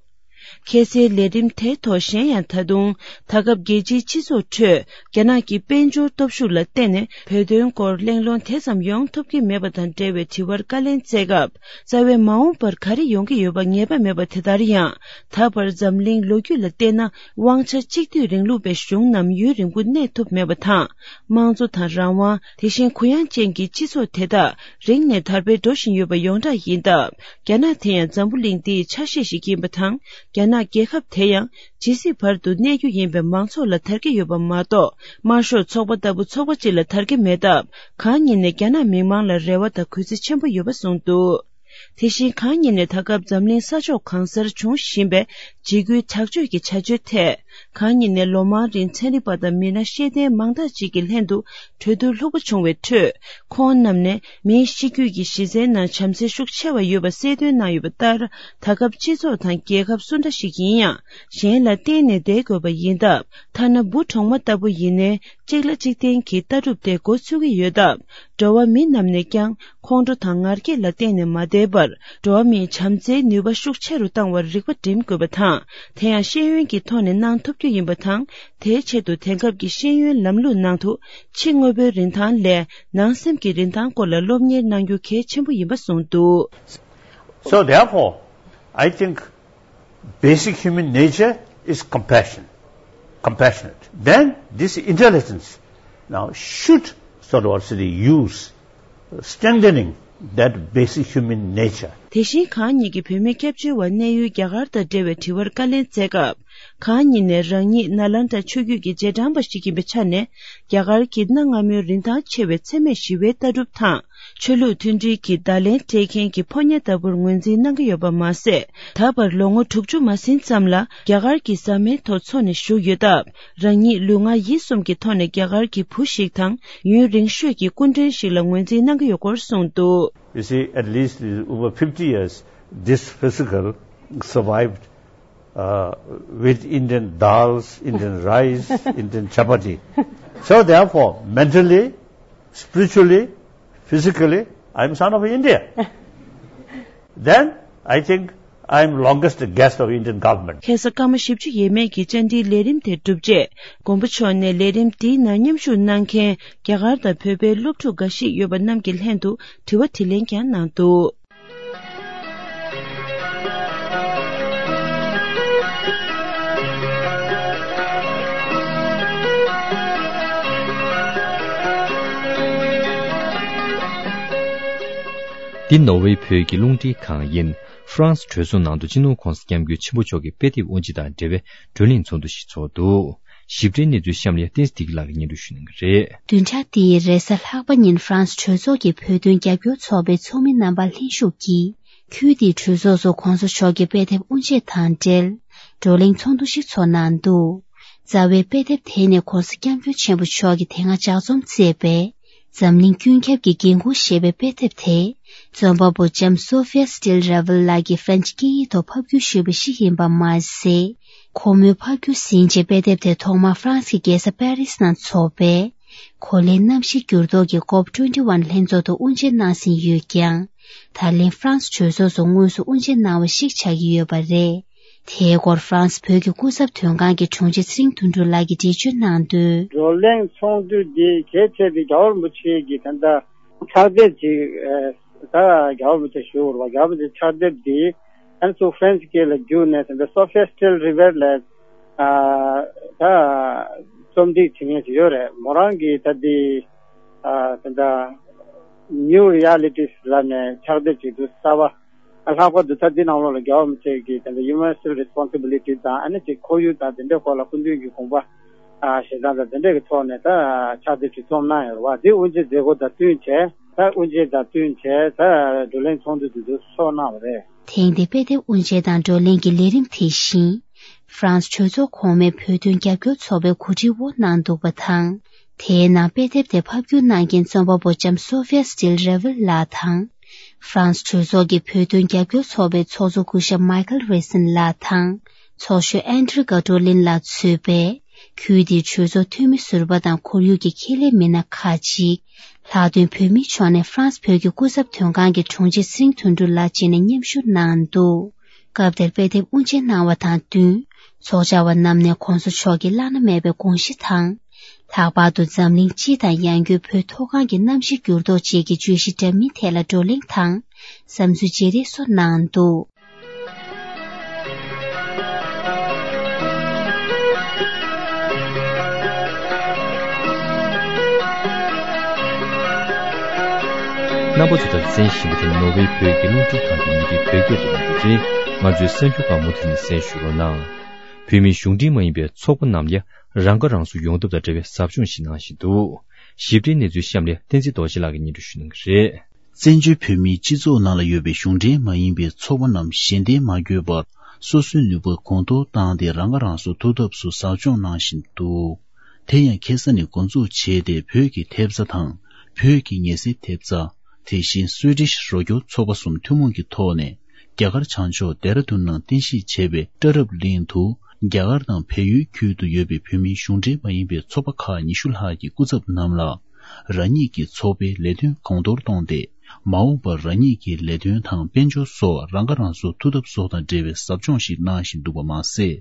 ཁ་སའི་ལས་རིམ་དེའི་ཐོག་གཞན་ཡང་ད་དུང་ད་སྐབས་རྒྱལ་སྤྱིའི་སྤྱི་ཚོགས་ཁྲོད་རྒྱ་ནག་གི་དཔལ་འབྱོར་སྟོབས་ཤུགས་ལ་བརྟེན་ནས་བོད་དོན་སྐོར་གླེང་སློང་དེ་ཙམ་ཡོང་ཐུབ་ཀྱི་མེད་པ་དང་འབྲེལ་བའི་དྲི་བར་བཀའ་ལན་སྩལ་སྐབས། རྩ་བའི་མ་འོངས་པར་ག་རེ་ཡོང་གི་ཡོད་པ་ངེས་པ་མེད་པ་དེ་ལྟར་ཡང་། ད་བར་འཛམ་གླིང་ལོ་རྒྱུས་ལ་བལྟས་ན། དབང་ཆ་གཅིག་སྡུད་རིང་ལུགས་པའི་གཞུང་རྣམས་ཡུན་རིང་པོ་གནས་ཐུབ་མེད་པ་དང་། དམངས་གཙོ་དང་རང་དབང་། དེ་བཞིན་གུ་ཡངས་ཅན་གྱི་སྤྱི་ཚོགས་དེ་དག་རིང་ནས་དར་སྤེལ་འགྲོ་བཞིན་ཡོད་པ་ཡོངས་གྲགས་ཡིན་སྟབས། རྒྱ་ནག་དེ་ཡང་འཛམ་བུ་གླིང་འདིའི་ཆ་ཤས་ཤིག་ཡིན་པ་དང་། རྒྱ་ནག་རྒྱལ་ཁབ་དེ་ཡང་ཇི་སྲིད་བར་དུ་གནས་རྒྱུ་ཡིན་པའི་མང་ཚོགས་ལ་དར་གྱི་ཡོད་པ་མ་གཏོགས། དམར་ཤོག་ཚོགས་པ་ལྟ་བུ་ཚོགས་པ་གཅིག་ལ་དར་གྱི་མེད་སྟབས། གང་ཉིད་ནས་རྒྱ་ནག་མི་མང་ལ་རེ་བ་དང་གུས་བརྩི་ཆེན་པོ་ཡོད་པ་གསུངས་འདུག། དེ་བཞིན་གང་ཉིད་ནས་ད་སྐབས་འཛམ་གླིང་ས་ཕྱོགས་གང་སར་འབྱུང་བཞིན་པའི་འཇིགས་སྐུལ་དྲག་སྤྱོད་ཀྱི་བྱ་སྤྱོད་ཐད། གང་ཉིད་ནས་ལོ་མང་རིང་ཚན་རིག་པ་དང་མི་སྣ་ཤེས་ལྡན་མང་དག་ཅིག་གི་ལྷན་དུ་གྲོས་བསྡུར་ལྷུག་པོ་བྱུང་བའི་ཁྲོད། ཁོང་རྣམས་ནས་མིའི་གཤིས་རྒྱུད་ཀྱི་གཞི་རྩའི་ནང་བྱམས་བརྩེ་ཤུགས་ཆེ་བ་ཡོད་པ་གསལ་སྟོན་གནང་ཡོད་པ་ལྟར། ད་སྐབས་སྤྱི་ཚོགས་དང་རྒྱལ་ཁབ་སུ་འདྲ་ཞིག་ཡིན་ཡང་། གཞན་ལ་བརྟེན་ནས་བསྡད་དགོས་པ་ཡིན་སྟབས། ཐ་ན་འབུ་གྲོག་མ་ལྟ་བུ་ཡིན་ནའི། གཅིག་ལ་གཅིག་བརྟེན་གྱི་ལྟ་གྲུབ་དེ་འགོ་ཚུགས་ཀྱི་ཡོད་སྟབས། འགྲོ་བ་མི་རྣམས་ནས་ཀྱང་ཁོང་ཁྲོ་དང་ངར་སྐད་ལ་བརྟེན་ནས་མ་བསྡད་པར། འགྲོ་བ་མིའི་བྱམས་བརྩེའི་ནུས་པ་ཤུགས་ཆེ་རུ་བཏང་བར་རིག་པ་སྒྲིམ་དགོས་པ་དང་། དེ་ཡང་ཤེས་ཡོན་གྱི་ཐོག་ནས་གནང་ཐུབ་རྒྱུ་ཡིན་པ་དང་། དེའི་ཆེད་དུ་དེང་སྐབས་ཀྱི་ཤེས་ཡོན་ལམ་ལུགས་ནང་དུ། ཕྱི་དངོས་པོའི་རིན་ཐང་ལས་ནང་སེམས་ཀྱི་རིན་ཐང་སྐོར་ལ་སློབ་གཉེར་གནང་རྒྱུ་གལ་ཆེན་པོ་ཡིན་པ་གསུངས་འདུག། So therefore, I think basic human nature is compassion, compassionate. Then this intelligence now should sort of also use strengthening that basic human nature. དེ་བཞིན་གང་ཉིད་ཀྱིས་བོད་མི་སྐྱབས་བཅོལ་བ་གནས་ཡུལ་རྒྱ་གར་དང་འབྲེལ་བའི་དྲི་བར་བཀའ་ལན་སྩལ་སྐབས། གང་ཉིད་ནས་རང་ཉིད་ནཱ་ལནྡཱ་ཆོས་བརྒྱུད་ཀྱི་རྗེས་འབྲང་པ་ཞིག་ཡིན་པའི་ཆ་ནས། རྒྱ་གར་གྱི་གནའ་སྔ་མོའི་རིན་ཐང་ཆེ་བའི་འཚེ་མེད་ཞི་བའི་ལྟ་གྲུབ་དང་། ཆོས་ལུགས་མཐུན་སྒྲིལ་གྱི་བརྡ་ལན་སྤྲད་མཁན་གྱི་ཕོ་ཉ་ལྟ་བུར་ངོས་འཛིན་གནང་གི་ཡོད་པ་མ་ཟད། ད་བར་ལོ་ངོ་དྲུག་ཅུ་མ་ཟིན་ཙམ་ལ་རྒྱ་གར་གྱི་ཟ་མའི་ཐོག་འཚོ་ནས་བཞུགས་ཡོད་སྟབས། རང་ཉིད་ལུས་ངག་ཡིད་གསུམ་གྱི་ཐོག་ནས་རྒྱ་གར་གྱི་བུ་ཞིག་དང་ཡུན་རིང་ཤོས་ཀྱི་སྐུ་མགྲོན་ཞིག་ལ་ངོས་འཛིན་གནང་གི་ཡོད་སྐོར་གསུངས་འདུག། You see, at least over fifty years, this physical survived uh, with Indian dals, Indian rice, Indian chapati. So therefore, mentally, spiritually, physically, I am son of India. Then I think I am longest guest of Indian government. ཁ་སང་སྐར་མ་བཞི་བཅུ་ཡས་མས་ཀྱི་བཅར་འདྲིའི་ལས་རིམ་དེ་གྲུབ་རྗེས། མགོན་པོ་མཆོག་ནས་ལས་རིམ་འདིའི་ནང་མཉམ་ཞུགས་གནང་མཁན་རྒྱ་གར་དང་བོད་པའི་སློབ་ཕྲུག་འགའ་ཞིག་ཡོད་པ་རྣམས་ཀྱི་ལྷན་དུ་དྲི་བ་དྲིས་ལན་ཀྱང་གནང་འདུག། འདི་ནོར་ཝེ་བོད་ཀྱི་རླུང་འཕྲིན་ཁང་ཡིན། ཧྥ་རན་སི་གྲོས་ཚོགས་ནང་དུ་སྤྱི་ནོར་༧གོང་ས་༧སྐྱབས་མགོན་ཆེན་པོ་མཆོག་གི་དཔེ་དེབ་དབུ་འབྱེད་དང་འབྲེལ་བའི་བགྲོ་གླེང་ཚོགས་འདུ་ཞིག་ཚོགས་འདུག། ཞིབ་ཕྲའི་གནས་ཚུལ་གཤམ་ལ་བསྟན་འཛིན་བདེ་སྐྱིད་ལགས་ཀྱིས་སྙན་སྒྲོན་ཞུ་གནང་གི་རེད། བདུན་ཕྲག་འདིའི་རེས་གཟའ་ལྷག་པ་ཉིན་ཧྥ་རན་སི་གྲོས་ཚོགས་ཀྱི་བོད་དོན་རྒྱབ་སྐྱོར་ཚོགས་པའི་ཚོགས་མི་རྣམ་པ་ལྷན་ཞུགས་ཀྱིས། ཁུལ་དེའི་གྲོས་ཚོགས་སུ་༧གོང་ས་མཆོག་གི་དཔེ་དེབ་དབུ་འབྱེད་དང་འབྲེལ། བགྲོ་གླེང་ཚོགས་འདུ་ཞིག་ཚོགས་གནང་འདུག། རྩ་བའི་དཔེ་དེབ་དེ་ནི་༧གོང་ས་༧སྐྱབས་མགོན་ཆེན་པོ་མཆོག་གིས་དེ་སྔ་ལྗགས་རྩོམ་མཛད་པའི། འཛམ་གླིང་ཀུན་ཁྱབ་ཀྱི་འགན་ཁུར་ཞེས་པའི་དཔེ་དེབ་དེ། རྩོམ་པ་པོ་ལྕམ་སོ་ཧྥི་ཡ་སི་ཊིལ་རེ་ཝལ་ལགས་ཀྱིས་ཧྥ་རན་སི་སྐད་ཡིག་ཐོག་ཕབ་བསྒྱུར་ཞུས་པ་ཞིག་ཡིན་པ་མ་ཟད། ཁོ་མོས་ཕབ་བསྒྱུར་ཟིན་རྗེས་དཔེ་དེབ་དེ་ཐོག་མར་ཧྥ་རན་སི་གི་རྒྱལ་ས་པེ་རིས་ནང་འཚོགས་པའི། གོ་ལའི་གནམ་གཤིས་འགྱུར་ལྡོག་གི་ཀོབ་ཊུ་ཝེན་ཊི་ཝན་ལྷན་ཚོགས་དུ་དབུ་འབྱེད་གནང་ཟིན་ཡོད་ཀྱང་། ད་ལན་ཧྥ་རན་སི་གྲོས་ཚོགས་སུ་དངོས་སུ་དབུ་འབྱེད་གནང་བ་ཞིག་ཆགས་ཀྱི་ཡོད་པ་རེད། དེའི་སྐོར་ཧྥ་རན་སི་བོད་ཀྱི་སྐུ་ཚབ་དོན་ཁང་གི་དྲུང་ཆེ་ཚེ་རིང་དོན་གྲུབ་ལགས་ཀྱིས་འགྲེལ་བརྗོད་གནང་དོན། བགྲོ་གླེང་ཚོགས་འདུ་འདི་གལ་ཆེ་བའི་རྒྱལ་བ་རིན་པོ་ཆེ་གི་ད་ལྟ་ཕྱག་དེབ་ཅིག་ཨ་ད་རྒྱལ་བ་རིན་པོ་ཆེ་ཞུ་བར་བ་རྒྱལ་བ་རིན་པོ་ཆེ་ཕྱག་དེབ་འདི་ཨན་སུ་ཧྥ་རན་སི་སྐད་ལ་བསྒྱུར་ནས་ད་ལྟ་སོ་ཧྥི་ཡ་སི་ཊིལ་རེ་ཝལ་ལ་ཨ་ད་རྩོམ་སྒྲིག་བྱེད་མཁན་ཞིག་ཡོད་རེད། མོ་རང་གིས་ད་འདི་ཨ་ད་ལྟ་ནིའུ་རི་ཡ་ལི་ཊིས་ལབ་ནས་ཕྱག་དེབ་ཅིག་འདུག་གསར་པ། ལྷག་པར་དུ་ད་འདི་ནང་ལོགས་ལ་རྒྱལ་བ་རིན་པོ་ཆེ་གི་དེ་འདྲ་Universal Responsibility དང་ཨ་ནི་ཅིག་ཁོར་ཡུག་དང་དེ་འདྲའི་སྐོར་ལ་སྐུ་མདུན་གྱི་དགོངས་པ་ཨ་བཞེས་སྟངས་དང་དེ་འདྲའི་གི་ཐོག་ནས་ད་ཕྱག་དེབ་ཅིག་རྩོམ་གནང་ཡོད་རེད་བ། འདི་དབུ་འབྱེད་མཛད་སྒོ་དང་བསྟུན་བྱས་ད་དབུ་འབྱེད་དང་བསྟུན་བྱས་ད་བགྲོ་གླེང་ཚོགས་འདུ་འདི་ཚོ་ཚོགས་གནང་བ་རེད། ཐེངས་འདིའི་དཔེ་དེབ་དབུ་འབྱེད་དང་བགྲོ་གླེང་གི་ལས་རིམ་དེ་བཞིན། ཧྥ་རན་སི་གྲོས་ཚོགས་གོང་མའི་བོད་དོན་རྒྱབ་སྐྱོར་ཚོགས་པའི་གོ་སྒྲིག་འོག་གནང་འདུག་པ་དང་། དེའི་ནང་དཔེ་དེབ་དེ་ཕབ་བསྒྱུར་གནང་མཁན་རྩོམ་པ་པོ་ལྕམ་སོ་ཧྥི་ཡ་སི་ཊིལ་རེ་ཝལ་ལགས་དང་། ཧྥ་རན་སི་གྲོས་ཚོགས་ཀྱི་བོད་དོན་རྒྱབ་སྐྱོར་ཚོགས་པའི་ཚོགས་གཙོ་སྐུ་ཞབས་མའི་ཁལ་རེ་སིན་ལགས་དང་། ཚོགས་གཞོན་ཨན་ཌྲི་ཀ་ཏོ་ལིན་ལགས་གཙོས་པའི་ཁུལ་དེའི་གྲོས་ཚོགས་འཐུས་མི་ཟུར་པ་དང་ཁོར་ཡུག་གི་ཁྱད་ལས་མི་སྣ་ཁག་ཅིག། ལྷག་དོན་བོད་མིའི་ཕྱོགས་ནས་ཧྥ་རན་སི་བོད་ཀྱི་སྐུ་ཚབ་དོན་ཁང་གི་དྲུང་ཆེ་ཚེ་རིང་དོན་གྲུབ་ལགས་བཅས་ནས་མཉམ་ཞུགས་གནང་འདུག། སྐབས་དེར་དཔེ་དེབ་དབུ་འབྱེད་གནང་བ་དང་བསྟུན། ཚོགས་བཅར་བ་རྣམས་ནས་༧གོང་ས་མཆོག་གི་བླ་ན་མེད་པའི་དགོངས་གཞི་དང་། ལྷག་པར་དུ་འཛམ་གླིང་སྤྱི་དང་ཡང་སྒོས་བོད་མཐོ་སྒང་གི་གནམ་གཤིས་འགྱུར་ལྡོག་བཅས་ཀྱི་བརྗོད་གཞི་འདྲ་མིན་ཐད་ལ་བགྲོ་གླེང་དང་། བསམ་ཚུལ་བརྗེ་རེས་སོགས་གནང་འདུག། རྣམ་པ་ཚོ་ད་གཟན་ཞིམ་པོ་དེ་ནོར་ཝེ་བོད་ཀྱི་རླུང་འཕྲིན་ཁང་གི་མི་རིགས་བོད་སྐད་རིགས་ཀྱི་རེད། ང་ཚོའི་གསར་འགྱུར་པ་མུ་མཐུད་ནས་གསན་ཞུ་རོགས་གནང་། བོད་མིའི་གཞུང་འབྲེལ་མ་ཡིན་པའི་ཚོགས་པ་རྣམས་ལ་རང་ཁ་རང་གསོ་ཡོང་ཐབས་དང་འབྲེལ་བའི་ཟབ་སྦྱོང་ཞིག་གནང་བཞིན་འདུག། ཞིབ་ཕྲའི་གནས་ཚུལ་གཤམ་ལ་བསྟན་འཛིན་རྡོ་རྗེ་ལགས་ཀྱིས་སྙན་སྒྲོན་ཞུ་གནང་གི་རེད། བཙན་བྱོལ་བོད་མིའི་སྤྱི་ཚོགས་ནང་ལ་ཡོད་པའི་གཞུང་འབྲེལ་མ་ཡིན་པའི་ཚོགས་པ་རྣམས་གཞན་བརྟེན་མ་དགོས་པར་སོ་སོའི་ནུས་པ་གོང་མཐོར་བཏང་སྟེ་རང་ཁ་རང་གསོ་ཐུབ་ཐབས་སུ་ཟབ་སྦྱོང་གནང་བཞིན་འདུག། དེ་ཡང་ཁ་སང་ནས་འགོ་འཛུགས་བྱས་ཏེ་བོད་ཀྱི་ཐེབས་རྩ་དང་བོད་ཀྱི་ཉེ་སྲིབ་ཐེབས་རྩ། དེ་བཞིན་སུའེ་ཏིཤ་རོགས་སྐྱོར་ཚོགས་པ་གསུམ་ཐུན་མོང་གི་ཐོག་ནས་རྒྱ་གར་བྱང་ཕྱོགས་ལྡེ་ར་ལྡུན་ནང་རྟེན་གཞི་བྱས་པའི་ཊ་རབ་གླིང་དུ་རྒྱ་གར་དང་བལ་ཡུལ་ཁུལ་དུ་ཡོད་པའི་བོད་མིའི་གཞུང་འབྲེལ་མ་ཡིན་པའི་ཚོགས་པ་ཁག་ཉི་ཤུ་ལྷག་གི་སྐུ་ཚབ་རྣམས་ལ། རང་ཉིད་ཀྱི་ཚོགས་པའི་ལས་དོན་གོང་མཐོར་གཏོང་སྟེ། མ་འོངས་པར་རང་ཉིད་ཀྱི་ལས་དོན་དང་དཔལ་འབྱོར་སོགས་རང་ཁ་རང་གསོ་ཐུབ་ཐབས་སོགས་དང་འབྲེལ་བའི་ཟབ་སྦྱོང་ཞིག་གནང་བཞིན་འདུག་པ་མ་ཟད།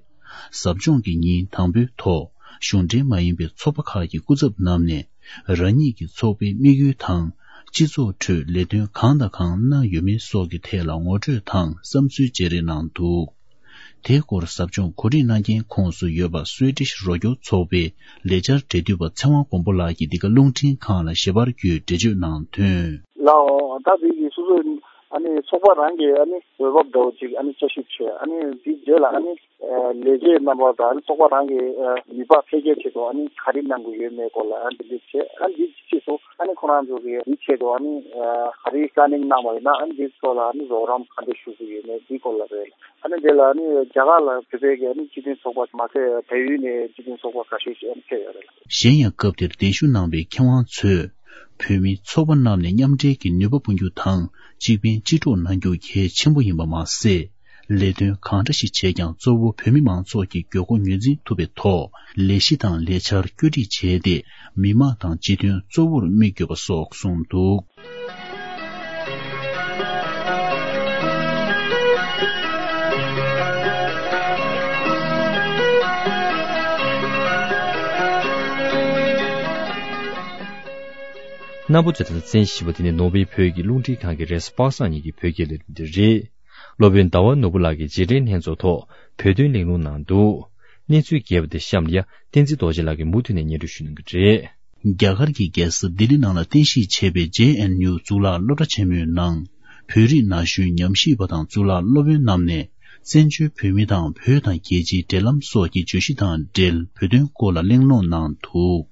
ཟབ་སྦྱོང་གི་ཉིན་དང་པོའི་ཐོག་གཞུང་འབྲེལ་མ་ཡིན་པའི་ཚོགས་པ་ཁག་གི་སྐུ་ཚབ་རྣམས་ནས་རང་ཉིད་ཀྱི་ཚོགས་པའི་དམིགས་ཡུལ་དང་སྤྱི་ཚོགས་ཁྲོད་ལས་དོན་གང་དང་གང་གནང་ཡོད་མེད་སོགས་ཀྱི་ཐད་ལ་ངོ་སྤྲོད་དང་བསམ་ཚུལ་བརྗེ་རེས་གནང་འདུག། དེའི་སྐོར་ཟབ་སྦྱོང་གོ་སྒྲིག་གནང་མཁན་ཁོངས་སུ་ཡོད་པ་སུའེ་ཏིཤ་རོགས་སྐྱོར་ཚོགས་པའི་ལས་འཆར་འབྲེལ་མཐུད་པ་ཚེ་དབང་མགོན་པོ་ལགས་ཀྱིས་འདི་ག་རླུང་འཕྲིན་ཁང་ལ་ཞལ་པར་བརྒྱུད་འགྲེལ་བརྗོད་གནང་དོན། ལའོ། ད་འདི་གི་སོ་སོའི་ཨ་ནི་ཚོགས་པ་རང་གི་ཨ་ནི་འོས་བབ་འདྲ་བོ་ཅིག་ཨ་ནི་བསྐྱར་ཞིབ་བྱས། ཨ་ནི་འདི་རྗེས་ལ་ཨ་ནི་ལས་བྱེད་རྣམ་པ་དང་ཨ་ནི་ཚོགས་པ་རང་གི་ནུས་པ་འཕེལ་རྒྱས་ཆེད་དུ་ཨ་ནི་ག་རེ་གནང་དགོས་ཡོད་མེད་སྐོར་ལ་ཨ་ནི་འདི་འདྲ་བྱས། ཨ་ནི་འདི་ཕྱིས་སུ་ཨ་ནི་ཁོ་རང་ཚོ་གི་འདི་ཆེད་དུ་ཨ་ནི་ག་རེ་པི་ལེ་ནིང་གནང་བ་ཡིན་ན་ཨ་ནི་འདི་ཚོ་ལ་ཨ་ནི་རོགས་རམ་ག་འདྲ་ཞུ་དགོས་ཡོད་མེད་འདི་སྐོར་ལ་རེད། ཨ་ནི་དེ་ལ་ཨ་ནི་རྒྱ་གར་ལ་བོད་པའི་གི་ཨ་ནི་སྤྱི་མཐུན་ཚོགས་པ་མ་ཚད་བལ་ཡུལ་ནས་སྤྱི་མཐུན་ཚོགས་པ་ཁ་ཤས་ཤིག་ཨ་ནི་ཕེབས་ཡོད་རེད། གཞན་ཡང་སྐབས་དེར་གདན་ཞུ་གནང་བའི་མཁས་དབང་ཚོས་བོད་མིའི་ཚོགས་པ་རྣམས་ནས་མཉམ་འབྲེལ་གྱི་ནུས་པ་སྤུངས་རྒྱུ་དང་གཅིག་ཕན་གཅིག་གྲོགས་གནང་རྒྱུ་གལ་ཆེན་པོ་ཡིན་པ་མ་ཟད། ལས་དོན་གང་འདྲ་ཞིག་བྱས་ཀྱང་གཙོ་བོ་བོད་མི་མང་ཚོགས་ཀྱི་དགོས་མཁོ་ངོས་འཛིན་ཐུབ་པའི་ཐོག་ལས་གཞི་དང་ལས་འཆར་བཀོད་སྒྲིག་བྱས་ཏེ་མི་དམངས་དང་སྤྱི་དོན་གཙོ་བོར་དམིགས་ཡོད་པ་སོགས་གསུངས་འདུག། རྣམ་པ་ཚོས་ད་ལྟ་གསན་བཞིན་པ་དེ་ནི་ནོར་ཝེ་བོད་ཀྱི་རླུང་འཕྲིན་ཁང་གི་རེས་གཟའ་པ་སངས་ཉིན་གྱི་བོད་སྐད་ལས་རིམ་དེ་རེད། སློབ་དཔོན་ཟླ་བ་ནོར་བུ་ལགས་ཀྱིས་རྗེས་དྲན་ལྷན་ཚོགས་ཐོག་བོད་དོན་གླེང་སློང་གནང་འདུག། གནས་ཚུལ་རྒྱས་པ་དེ་གཤམ་ལ་བསྟན་འཛིན་རྡོ་རྗེ་ལགས་ཀྱིས་མུ་མཐུད་ནས་སྙན་སྒྲོན་ཞུ་གནང་གི་རེད། རྒྱ་གར་གྱི་རྒྱལ་ས་ལྡི་ལི་ནང་ལ་རྟེན་གཞི་བྱས་པའི་ཇེ་ཨེན་ཡུ་གཙུག་ལག་སློབ་གྲྭ་ཆེན་མོའི་ནང་ བོད་རིགས་ན་གཞོན་ཉམས་ཞིབ་པ་དང་གཙུག་ལག་སློབ་དཔོན་རྣམས་ནས་བཙན་བྱོལ་བོད་མི་དང་བོད་དང་རྒྱལ་སྤྱིའི་འབྲེལ་ལམ་སོགས་ཀྱི་བརྗོད་གཞི་དང་འབྲེལ་བོད་དོན་སྐོར་ལ་གླེང་སློང་གནང་འདུག་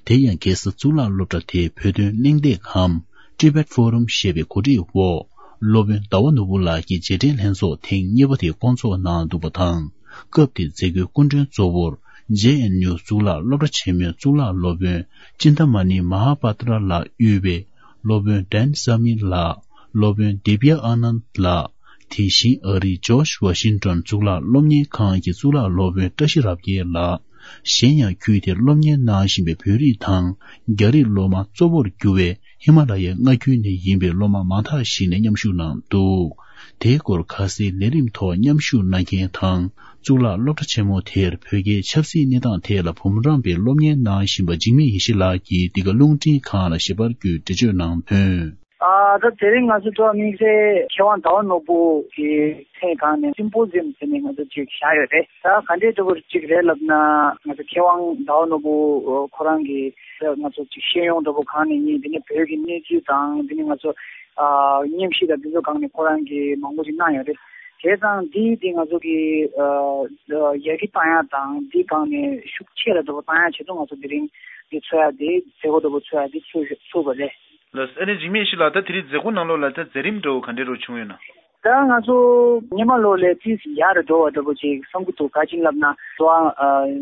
དེ་ཡང་ཁ་སང་གཙུག་ལག་སློབ་གྲྭ་དེའི་བོད་དོན་གླེང་སྟེགས་གམ། Tibet Forum ཞེས་པའི་གོ་སྒྲིག་འོག་སློབ་དཔོན་ཟླ་བ་ནོར་བུ་ལགས་ཀྱི་རྗེས་དྲན་ལྷན་ཚོགས་ཐེངས་གཉིས་པ་དེ་བསྐོང་ཚོགས་གནང་འདུག་པ་དང་། སྐབས་དེའི་མཛད་སྒོའི་སྐུ་མགྲོན་གཙོ་བོར་ཇེ་ཨེན་ཡུ་གཙུག་ལག་སློབ་གྲྭ་ཆེན་མོའི་གཙུག་ལག་སློབ་དཔོན་ཅིན་ཏ་མ་ནི་མ་ཧཱ་པ་ཏྲ་ལགས་དབུས་པའི་སློབ་དཔོན་ཌན་ས་མི་ལགས། སློབ་དཔོན་དེ་བི་ཡ་ཨ་ནན་ལགས། དེ་བཞིན་ཨ་རིའི་ཇོརྗ་ཝ་ཤིང་ཏོན་གཙུག་ལག་སློབ་གཉེར་ཁང་གི་གཙུག་ལག་སློབ་དཔོན་བཀྲ་ཤིས་རབ་རྒྱས་ལགས། གཞན་ཡང་ཁུལ་དེར་སློབ་གཉེར་གནང་བཞིན་པའི་བོད་རིགས་དང་རྒྱ་རིགས་སློབ་མ་གཙོ་བོར་གྱུར་བའི་ཧི་མ་ལ་ཡའི་མངའ་ཁུལ་ནས་ཡིན་པའི་སློབ་མ་མང་དག་ཞིག་ནས་མཉམ་ཞུགས་གནང་འདུག་དེའི་སྐོར་ཁ་སའི་ལས་རིམ་ཐོག་མཉམ་ཞུགས་གནང་མཁན་དང་གཙུག་ལག་སློབ་གྲྭ་ཆེན་མོ་དེར་བོད་རྒྱའི་ཆབ་སྲིད་གནས་སྟངས་ཐད་ལ་འབུམ་རམས་པའི་སློབ་གཉེར་གནང་བཞིན་པ་འཇིགས་མེད་ཡེ་ཤེས་ལགས་ཀྱིས་འདི་ག་རླུང་འཕྲིན་ཁང་ལ་ཞིབ་པར་བརྒྱུད་འགྲེལ་བརྗོད་གནང་དོན། ཨ་ད་དེ་རིང་ང་ཚོ་ཐོག་དམིགས་བསལ་མཁས་དབང་ཟླ་བ་ནོར་བུ་གི་ཐེངས་གང་ནས་སིམ་པོ་ཟིམ་ཟེར་ནས་ང་ཚོ་ཅིག་བཞག་ཡོད་རེད། ད་ག་འདྲའི་འདྲ་པོ་ཅིག་རེད་ལབ་ན། ང་ཚོ་མཁས་དབང་ཟླ་བ་ནོར་བུ་ཁོ་རང་གི་ང་ཚོ་ཅིག་ཤེས་ཡོན་འདྲ་པོ་གང་ནས་ཡིན། དེ་ནས་བོད་ཀྱི་གནས་ཚུལ་དང་། དེ་ནས་ང་ཚོ་ཨ་མཉམ་ཞིབ་དང་དེ་ཚོ་སྒང་ནས་ཁོ་རང་གིས་མང་པོ་ཅིག་གནང་ཡོད་རེད། བྱས་ཙང་འདི་འདི་ང་ཚོ་གི་ཨ་ཡར་རྒྱས་གཏོང་ཡག་དང་། འདི་སྒང་ནས་ཤུགས་ཆེ་ར་འདྲ་པོ་གཏོང་ཡག་ཆེད་དུ་ང་ཚོ་དེ་རིང་འདི་འཚོགས་ཡག་འདི་མཛད་སྒོ་འདྲ་པོ་འཚོགས་ཡག་འདི་འཚོགས་འཚོགས་པ་རེད། ལགས། ཨ་ནི་འཇིགས་མེད་ཡེ་ཤེས་ལགས། ད་དེ་རིང་མཛད་སྒོ་ནང་ལོགས་ལ་ད་མཛད་རིམ་འདྲ་བོ་ག་འདྲ་རུ་བྱུང་ཡོད་ན། ད་ང་ཚོ་སྔོན་མ་ལོ་ལས་ཏིས་ཡག་རུ་འགྲོ་བ་འདྲ་པོ་ཅིག་བསམ་གྱི་འདུག་ག་ཅིག་ལབ་ན། ད་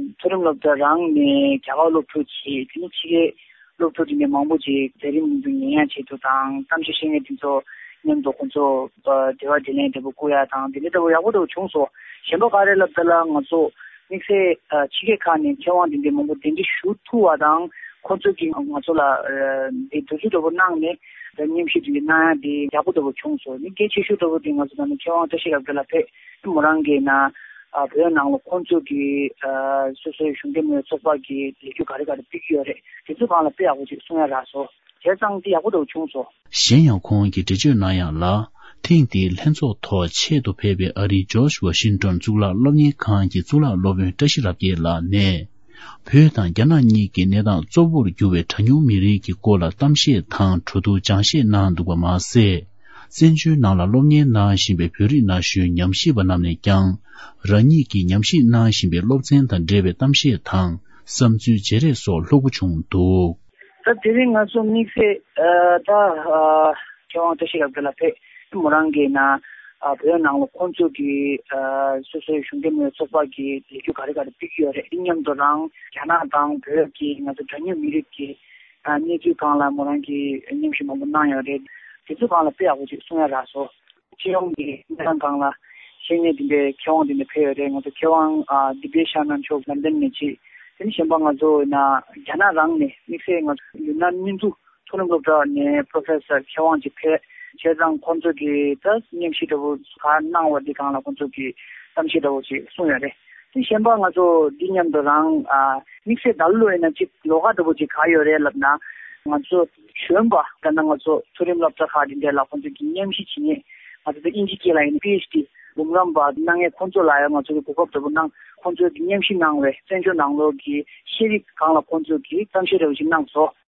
མཐོ་རིམ་སློབ་གྲྭ་རང་ནས་རྒྱ་གར་སློབ་ཕྲུག་ཅིག་དེ་ནས་ཕྱི་རྒྱལ་སློབ་ཕྲུག་དེ་འདྲ་མང་པོ་ཅིག་མཛད་རིམ་འདི་ཉན་ཡག་ཆེད་དུ་དང་། གཏམ་བཤད་བཤད་མཁན་དེ་ཚོ་མཉམ་དུ་ཁོང་ཚོ་འབྲེལ་བ་འབྲེལ་ལན་འདྲ་པོ་བསྐུར་ཡག་དང་། དེ་འདྲ་འདྲ་པོ་ཡག་པོ་འདྲ་པོ་བྱུང་སོང་། གཞན་པ་ག་རེ་ལབ་ད་ལ། ང་ཚོ་དམིགས་བསལ་ཕྱི་རྒྱལ་ཁག་ནས་མཁས་དབང་དེ་འདྲ་མང་པོ་གདན་འདྲེན་ཞུ་ཐུབ་པ་དང་། ཁོང་ཚོ་གིས་ང་ཚོ་ལ་འདི་དུས་ཚོད་འདྲ་པོ་གནང་ནས་མཉམ་ཞུགས་དེ་འདྲ་གནང་ཡག་དེ་ཡག་པོ་འདྲ་པོ་བྱུང་སོང་། ནི་གལ་ཆེ་ཤོས་འདྲ་པོ་དེ་ང་ཚོ་ད་ནི་མཁས་དབང་བཀྲ་ཤིས་རབ་རྒྱས་ལགས་ཕེབས་མོ་རང་གིས་ན་བོད་ནང་ལ་ཁོང་ཚོ་གི་སོ་སོའི་གཞུང་འབྲེལ་མིན་པའི་ཚོགས་པ་གི་ལས་འགུལ་ག་རེ་ག་རེ་སྤེལ་གྱི་ཡོད་རེད། དེ་ཚོ་སྒང་ལ་དཔེ་ཡག་པོ་ཅིག་གསུང་ཡག་རག་སོང་། བྱས་ཙང་དེ་ཡག་པོ་འདྲ་བྱུང་སོང་། གཞན་ཡང་ཁོང་གིས་འགྲེལ་བརྗོད་གནང་ཡག་ལ། ཐེངས་འདིའི་ལྷན་ཚོགས་ཐོག་ཆེད་དུ་ཕེབས་པའི་ཨ་རིའི་ཇོརྗ་ཝ་ཤིང་ཏོན་གཙུག་ལག་སློབ་གཉེར་ཁང་གི་གཙུག་ལག་སློབ་དཔོན་བཀྲ་ཤིས་རབ་རྒྱས་ལགས་ནས། བོད་དང་རྒྱ་ནག་གཉིས་ཀྱི་གནས་སྟངས་གཙོ་བོར་གྱུར་བའི་གྲངས་ཉུང་མི་རིགས་ཀྱི་སྐོར་ལ་གཏམ་བཤད་དང་གྲོས་བསྡུར་སྦྱང་བཤད་གནང་འདུག་པ་མ་ཟད། བཙན་བྱོལ་ནང་ལ་སློབ་གཉེར་གནང་བཞིན་པའི་བོད་རིགས་ན་གཞོན་ཉམས་ཞིབ་པ་རྣམས་ནས་ཀྱང་། རང་ཉིད་ཀྱིས་ཉམས་ཞིབ་གནང་བཞིན་པའི་སློབ་ཚན་དང་འབྲེལ་བའི་གཏམ་བཤད་དང་བསམ་ཚུལ་བརྗེ་རེས་སོགས་ལྷུག་པོ་བྱུང་འདུག་ད་དེ་རིང་ང་ཚོ་དམིགས་བསལ་ཨ་ད་ཨ་མཁས་དབང་བཀྲ་ཤིས་རབ་རྒྱས་ལགས་ཕེབས་མོ་རང་གིས་ན་ཨ་བོད་ནང་ལ་ཁོང་ཚོ་གི་ཨ་སོ་སོའི་གཞུང་འབྲེལ་མིན་པའི་ཚོགས་པ་གི་ལས་འགུལ་ག་རེ་ག་རེ་སྤེལ་གྱི་ཡོད་རེད། དེ་མཉམ་དུ་རང་རྒྱ་ནག་དང་བོད་ཀྱི་ང་ཚོ་གྲངས་ཉུང་མི་རིགས་ཀྱི་ཨ་གནས་ཚུལ་སྒང་ལ་མོ་རང་གིས་མཉམ་ཞུགས་མང་པོ་གནང་ཡོད་རེད། དེ་ཚོ་སྒང་ལ་དཔེ་ཡག་པོ་ཅིག་གསུང་ཡག་རག་སོང་། སྤྱི་ཡོངས་ཀྱི་གནས་སྟངས་སྒང་ལ་ཤེས་མཁན་དེ་འདྲའི་མཁས་དབང་དེ་འདྲ་ཕེབས་ཡོད་རེད། ང་ཚོ་མཁས་དབང་ཨ་དི་བེ་ཤ་ནན་མཆོག་ལན་ཌན་ནས་ཅིག་དེ་ནས་གཞན་པ་ང་ཚོ་ཡིན་ན་རྒྱ་ནག་རང་ནས་དམིགས་བསལ་ང་ཚོ་ཡུན་ནན་སྨིན་ཚུགས་མཐོ་རིམ་སློབ་གྲྭ་ནས་པོ་རོ་ཕེ་སར་མཁས་དབང་ཅིག་ཕེབས། བྱས་ཙང་ཁོང་ཚོ་གིས་ད་མཉམ་ཞུགས་འདྲ་པོ་ག་གནང་བ་འདི་སྒང་ལ་ཁོང་ཚོ་གིས་གཏམ་བཤད་འདྲ་པོ་ཅིག་གསུངས་ཡོད་རེད། དེ་གཞན་པ་ང་ཚོ་འདི་མཉམ་དུ་རང་ཨ་དམིགས་བསལ་ད་ལོ་ཡིན་ན་ཅིག་ལོ་ཁ་འདྲ་པོ་ཅིག་ག་ཡོད་རེད་ལབ་ན། ང་ཚོ་གཞོན་པ་ད་ནང་ང་ཚོ་མཐོ་རིམ་སློབ་གྲྭ་ཁག་འདི་འདྲ་ལ་ཁོང་ཚོ་གིས་མཉམ་ཞུགས་བྱེད་མཁན། ང་ཚོ་ད་དབྱིན་ཇི་སྐད་ལ་ཡིན་ན་པི་ཨེཆ་ཌི་འབུམ་རམས་པ་གནང་མཁན་ཁོང་ཚོ་ལ་ཡང་ང་ཚོ་གིས་གོ་སྐབས་འདྲ་པོ་གནང་། ཁོང་ཚོ་གིས་མཉམ་ཞུགས་གནང་བའི་བཙན་བྱོལ་ནང་ལོགས་ཀྱི་ཤེས་རིག་སྒང་ལ་ཁོང་ཚོ་གིས་གཏམ་བཤད་འདྲ་པོ་ཞིག་གནང་སོང་།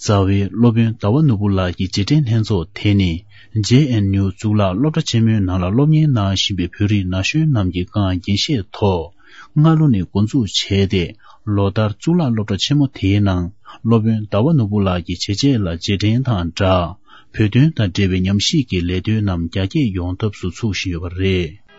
རྩ་བའི་སློབ་དཔོན་ཟླ་བ་ནོར་བུ་ལགས་ཀྱི་རྗེས་དྲན་ལྷན་ཚོགས་དེ་ནི་ཇེ་ཨེན་ཡུ་གཙུག་ལག་སློབ་གྲྭ་ཆེན་མོའི་ནང་ལ་སློབ་གཉེར་གནང་བཞིན་པའི་བོད་རིགས་ན་གཞོན་རྣམས་ཀྱི་སྒང་རྒྱས་བཤད་ཐོག་སྔ་ལོ་ནས་འགོ་འཛུགས་བྱས་ཏེ། ལོ་ལྟར་གཙུག་ལག་སློབ་གྲྭ་ཆེན་མོ་དེའི་ནང་སློབ་དཔོན་ཟླ་བ་ནོར་བུ་ལགས་ཀྱི་བྱས་རྗེས་ལ་རྗེས་དྲན་དང་སྦྲགས། བོད་དོན་དང་འབྲེལ་བའི་ཉམས་ཞིབ་ཀྱི་ལས་དོན་རྣམས་རྒྱ་སྐྱེད་ཡོང་ཐབས་སུ་ཚུགས་བཞིན་ཡོད་པ་རེད།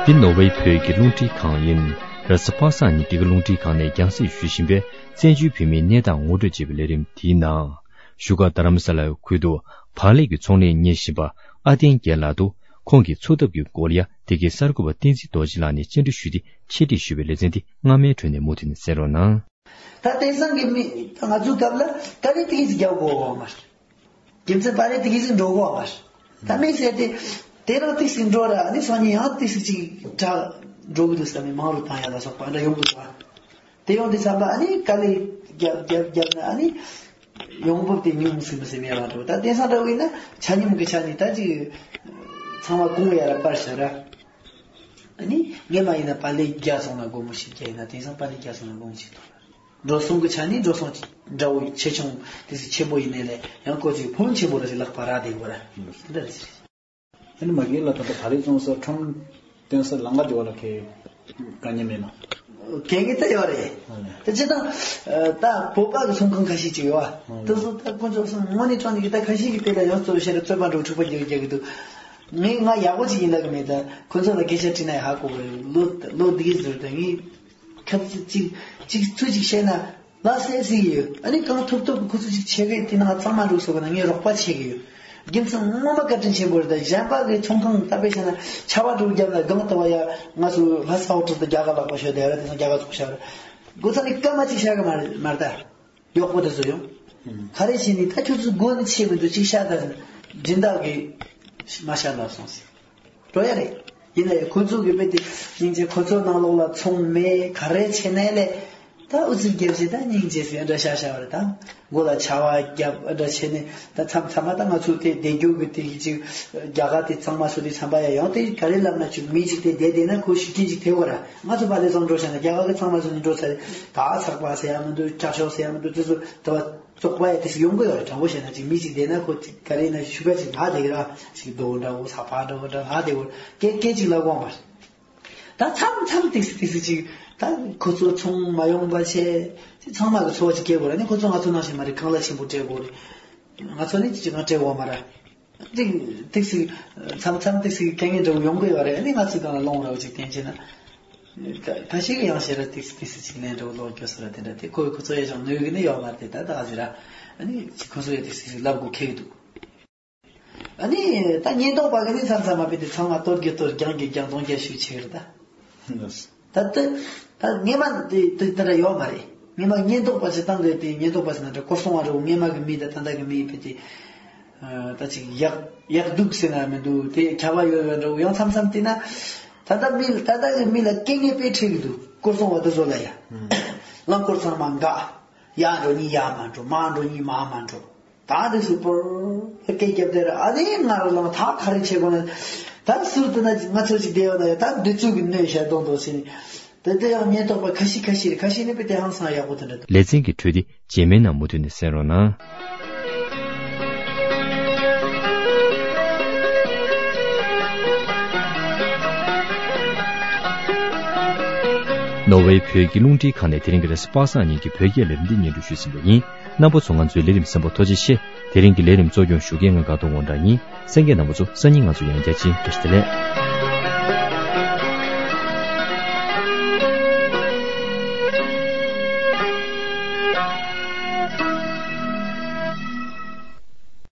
འདི་ནོར་ཝེ་བོད་ཀྱི་རླུང་འཕྲིན་ཁང་ཡིན། རེས་གཟའ་པ་སངས་ཉིན་འདི་ག་རླུང་འཕྲིན་ཁང་ནས་རྒྱང་སྲིང་ཞུ་བཞིན་པའི་བཙན་བྱོལ་བོད་མིའི་གནས་སྟངས་ངོ་སྤྲོད་ཅེས་པའི་ལས་རིམ་དེའི་ནང་། བཞུགས་སྒར་རྡ་རམ་ས་ལའི་ཁུལ་དུ་བག་ལེབ་ཀྱི་ཚོང་ལས་གཉེར་བཞིན་པ་ཨ་བསྟན་རྒྱལ་ལགས་འདུག་ཁོང་གི་འཚོ་ཐབས་ཀྱི་སྐོར་ལ་ཡ་དེ་གའི་གསར་འགོད་པ་བསྟན་འཛིན་རྡོ་རྗེ་ལགས་ནས་བཅར་འདྲི་ཞུས་ཏེ་འཆད་ཁྲིད་ཞུས་པའི་ལེ་ཚན་འདི་སྔ་མའི་ཁྲོད་ནས་མུ་མཐུད་ནས་གསན་རོགས་གནང་། ད་དེང་སང་གི་མི་ང་ཚོའི་སྐབས་ལ་ཀ་རེ་ཏི་གི་ཟིག་རྒྱག་དགོས་བ་མ་རེད། རྒྱུ་མཚན་པ་རེ་ཏི་གི་ཟིག་འགྲོ་དགོས་བ་མ་རེད། ད་མི་ཟེར་ཏེ་དེ་རང་ཏི་ཟིག་འགྲོ་ར་ཨ་ནི་སང་ཉིན་ཡང་ཏི་ཟིག་ཅིག་དྲག་འགྲོ་གི་འདུག་ཟེར་ནས་མང་རུ་བཏང་ཡ་ལ་སོགས་པ་འདྲ་ཡོང་གི་འདུག་བ། དེ་ཡོང་དུས་ཙམ་པ་ཨ་ནི་དཀའ་ལས་རྒྱབ་རྒྱབ་རྒྱབ་ན་ཨ་ནི་ཡོང་འབབ་དེ་ཉུང་སུ་མི་སེམས་ཡ་བ་འགྲོ། ད་དེང་སང་འདྲ་བོ་ཡིན་ན་ཆ་སྙོམས་ཀྱི་ཆ་ནས་ད་ཅིག་ཚང་མ་གོང་ཡ་ར་པར་བཞག་ར། ཨ་ནི་སྔས་མ་ཡིན་ན་པཱ་ལི་བརྒྱ་སོང་ན་སྒོར་མོ་བཞི་བརྒྱ་ཡིན་ན། དེང་སང་པཱ་ལི་བརྒྱ་སོང་ན་སྒོར་མོ་གཅིག་ཐོབ། འགྲོ་སོང་གི་ཆ་ནས་འགྲོ་སོང་འདྲ་བོ་ཆེ་ཆུང་དེ་ཚོ་ཆེན་པོ་ཡིན་ནའི་ལས་ཡང་ཁོ་ཚོས་ཕོན་ཆེན་པོ་ར་ཞིག་ལག་པ་རག་བསྡད་ཡོད་ར། དེ་འདྲ་རེད། ཨ་ནི་མ་གི་ལ་ད་ལྟ་ད་རེས་བཙོང་ས་ཁྲོམ་སྟོན་ས་ལམ་ཁ་དེ་བ་ལ་ཁེ་དཀའ་ངལ་མེད་ན། གལ་ངེས་ད་ཡོད་རེད། ཨ་ནི་ད་སྤྱིར་བཏང་ད་བོད་པ་གི་ཚོང་ཁང་ཁ་ཤས་ཅིག་ཡོད་ཨ། ཨ་ནི་དེ་ཚོ་ད་ཁོ་ཚོ་སང་དངོས་གནས་དྲང་གནས་ཀྱི་ད་ཁ་ཤས་ཀྱི་དེ་ལ་ཡང་རྩོད་བཤད་རྩོད་པ་འགྲོ་འཁྲུག་པ་རྒྱག་རྒྱག་གི་འདུག་ངས་ང་ཡག་པོ་ཅིག་ཡིན་ལབ་གི་མེད། ད་ཁོ་ཚོ་ལ་སྐད་ཆ་དྲིས་ན་ཡང་ཧ་གོ་གི་རེད། ལོ་ལོ་འདི་གི་ཟུར་དུ་ངས་ཁ་ཅིག་ཅིག་ཅིག་ཚུལ་ཅིག་བཤད་ན། ལ་སེ་སི་ཡོད། ཨ་ནི་གང་ཐུབ་ཐུབ་ཁོ་ཚོ་ཅིག་ཆེ་གེ་དེ་ནང་གཙང་མ་འགྲོ་སོགས་ན་ངས་རོགས་པ་བྱེད་ཀྱི་ཡོད། རྒྱུ་མཚན་ངོ་མ་བཀའ་དྲིན་ཆེན་པོ་རེད། ད་གཞན་པ་གི་ཚོང་ཁང་ད་དཔེ་བྱས་ན་ཆར་པ་འགྲོ་རྒྱབ་ལ་སྒང་ལྟ་བ་ཡ་ང་ཚོ་ལྷ་ས་ཨོ་ཊོ་དང་རྒྱ་གར་ལག་པ་ཤོད་དེ་ར། དེ་ཚོ་རྒྱ་གར་ཚོགས་ཤར་སྒོ་ཚ་ནི་སྐར་མ་གཅིག་ཤར་གི་མ་མ་རེད་ད། གཡོག་པོ་དེ་ཚོ་ཡོང་། ག་རེ་བྱས་ནི་ད་ཁྱོད་ཚོ་སྒོ་ནི་ཕྱེ་མི་འདུག་གཅིག་ཤར་ད་སྦྱིན་བདག་གི་མ་ཤར་ལ་སོང་ཟེར། འགྲོ་ཡ་རེད། ཡིན་ན་ཡང་ཁོ་ཚོ་གི་དཔེ་དེ་སྙིང་རྗེ། ཁོ་ཚོ་ནང་ལོགས་ལ་ཚོང་མེད་ག་རེ་བྱས་ནའི་ལས་ད་ཨུ་ཚུགས་རྒྱབ་བྱས་ད་སྙིང་རྗེ་ཟེར་འདྲ་ཤ་ཤ་བ་རེད། ད་མགོ་ལ་ཆར་པ་རྒྱབ་འདྲ་བྱས་ནས་ད་མཚམས་མཚམས་མ་ད་ང་ཚོ་དེ་བསྡད་རྒྱུ་གི་དེ་ཅིག་རྒྱ་གར་དེ་གཙང་མ་བཟོ་དུས་ཙམ་པ་ཡ་ཡང་དེ་ག་རེ་ལབ་ན་ཅིག་མི་ཅིག་དེ་བསྡད་བསྡད་ན་ཁོ་ཤུགས་རྐྱེན་ཅིག་ཐེབས་པ་ར། ང་ཚོ་པཱ་ལེ་ཚང་འགྲོ་བྱས་ན་རྒྱ་གར་གི་གཙང་མ་བཟོ་ནས་འགྲོ་ཚར་ད་ཚགས་པ་ཟེར་ཡ་མི་འདུག་ཀྲག་ཤོག་ཟེར་ཡ་མི་འདུག་དེ་ཚོ་ད་བ། བཙོག་པ་ཡ་དེ་ཞིག་ཡོང་གི་ཡོད་རེད། དྲང་པོ་བཤད་ན་ཅིག་མི་ཅིག་བསྡད་ན་ཁོ་ཅིག་ག་རེ་ཡིན་ན་ཤུགས་པ་ཅིག་ལྷག་བསྡད་ཀྱི་ར། ཅིག་རྡོ་འདྲ་བོ་ས་ཕག་འདྲ་བོ་འདྲ་ལྷག་བསྡད་གོ། སྐད་སྐད་ཅིག་ལབ་དགོས་མ་རེད། ད་མཚམས་མཚམས་ཏིག་སི་ཏིག་སི་ཅིག་ད་ཁོ་ཚོ་ཚོང་མ་ཡོང་པ་བྱས་ཅིག་ཚང་མ་གི་འཚོ་བ་ཅིག་སྐྱེལ་དགོས་རེད། ཨ་ནི་ཁོ་ཚོ་ང་ཚོ་ནང་བཞིན་མ་རེད། ཁང་གླ་ཆེན་པོ་སྤྲད་དགོས་རེད། ང་ཚོ་ནི་ཅིག་ང་སྤྲད་དགོས་མ་རེད། ཏིག་ཏིག་སི་མཚམས་མཚམས་ཏིག་སི་དཀའ་ངལ་འདྲ་བོ་ཡོང་གི་ཡོད་རེད། ཨ་ནི་ང་ཚོ་གང་ལ་སློང་ར་བ་ཅིག་བསྟན་བྱས་ན། ད་ད་ཞིག་ཡང་ཞེ་ར་ཏིག་སི་ཏིག་སི་ཅིག་ལན་འདྲ་བོ་ལོག་སྐྱོ་ས་ར་དེ་འདྲ་དེ་ཁོ་ཁོ་ཚོ་ཡ་ཅང་ནུས་གི་ནི་ཡོད་མ་རེད། ད་ད་ག་ཟེར་ར། ཨ་ནི་ཅིག་ཁོ་ཚོ་ཡ་ཏིག་སི་ཅིག་ལབ་དགོས་ཁེལ་གི་འདུག་ཨ་ནི་ད་ཉེན་རྟོག་པ་གི་ནི་མཚམས་མཚམས་མ་དཔེ་དེ་ཚང་མ་གཏོར་རྒྱུ་གཏོར། རྒྱང་རྒྱུ་རྒྱང་། རྫོང་རྒྱུ་ཞུ་ཆེ་གི་རེད་ད། ད་ལྟ་ད་སྔས་མ་དེ་དེ་ལྟར་ཡོད་མ་རེད། སྔས་མ་ཉེན་རྟོག་པ་ཞིག་བཏང་དགོས་དེ། ཉེན་རྟོག་པ་ཞིག་ན་འདྲ་སྐོར་སྲུང་བ་རེད། སྔས་མ་གི་མི་དང་ད་ལྟ་གི་མི་དཔེ་དེ་ད་ཅིག་ཡག་ཡག་སྡུག་ཟེར་ན་མི་འདུག་དེ་ཁྱབ་པ་ཡོད་ཡོད་འདྲ་བོ། ཡང་མཚམས་མཚམས་དེ་ན་ད་ལྟ་མི་ད་ལྟ་གི་མི་ལ་སྐད་ངན་དཔེ་འཁྲི་གི་འདུག་སྐོར་སྲུང་བ་དེ་ཚོ་ལ་ཡ། རླངས་འཁོར་ཚང་མ་འགག་ཡར་འགྲོ་གཉིས་ཡར་མ་འགྲོ། མར་འགྲོ་གཉིས་མར་མ་འགྲོ། ད་འདི་སུ་པོར་སྐད་རྒྱབ་དེ་ར། ཨ་ནི་ང་རང་ལ་ད་ག་རེ་བྱེད་དགོས་ན། ད་ཟུར་དུ་ན་ང་ཚོ་ཅིག་བསྡད་ཡོད་ན་ཡ། ད་འདི་ཚོ་གི་གནོད་བྱ་གཏོང་དོ་ཟེར་ནས། དེ་དེ་ཡང་ཉེན་རྟོག་པ་ཁ་ཤས་ཁ་ཤས་རེད། ཁ་ཤས་ནི་དཔེ་དེ་ཧང་སང་ཡག་པོ་དེ་འདྲ་འདུག་ལེ་ཚན་གྱི་འཕྲོས་འདི་རྗེས་མའི་ནང་མུ་མཐུད་ནས་གསན་རོགས་གནང་། ནོར་ཝེ་བོད་ཀྱི་རླུང་འཕྲིན་ཁང་ནས་དེ་རིང་གི་རེས་གཟའ་པ་སངས་ཉིན་གྱི་བོད་སྐད་ལས་རིམ་འདི་སྙན་སྒྲོན་ཞུས་ཟིན་པ་ཡིན། རྣམ་པ་ཚོ་ང་ཚོའི་ལས་རིམ་གསན་པར་ཐུགས་རྗེ་ཆེ། དེ་རིང་གི་ལས་རིམ་གཙོ་སྐྱོང་ཞུ་མཁན་ང་དགའ་ཐོག་དབང་གྲགས་ཡིན། གསན་མཁན་རྣམ་པ་ཚོ་སང་ཉིན་ང་ཚོ་ཡང་བསྐྱར་མཇལ། བཀྲ་ཤིས་བདེ་ལེགས།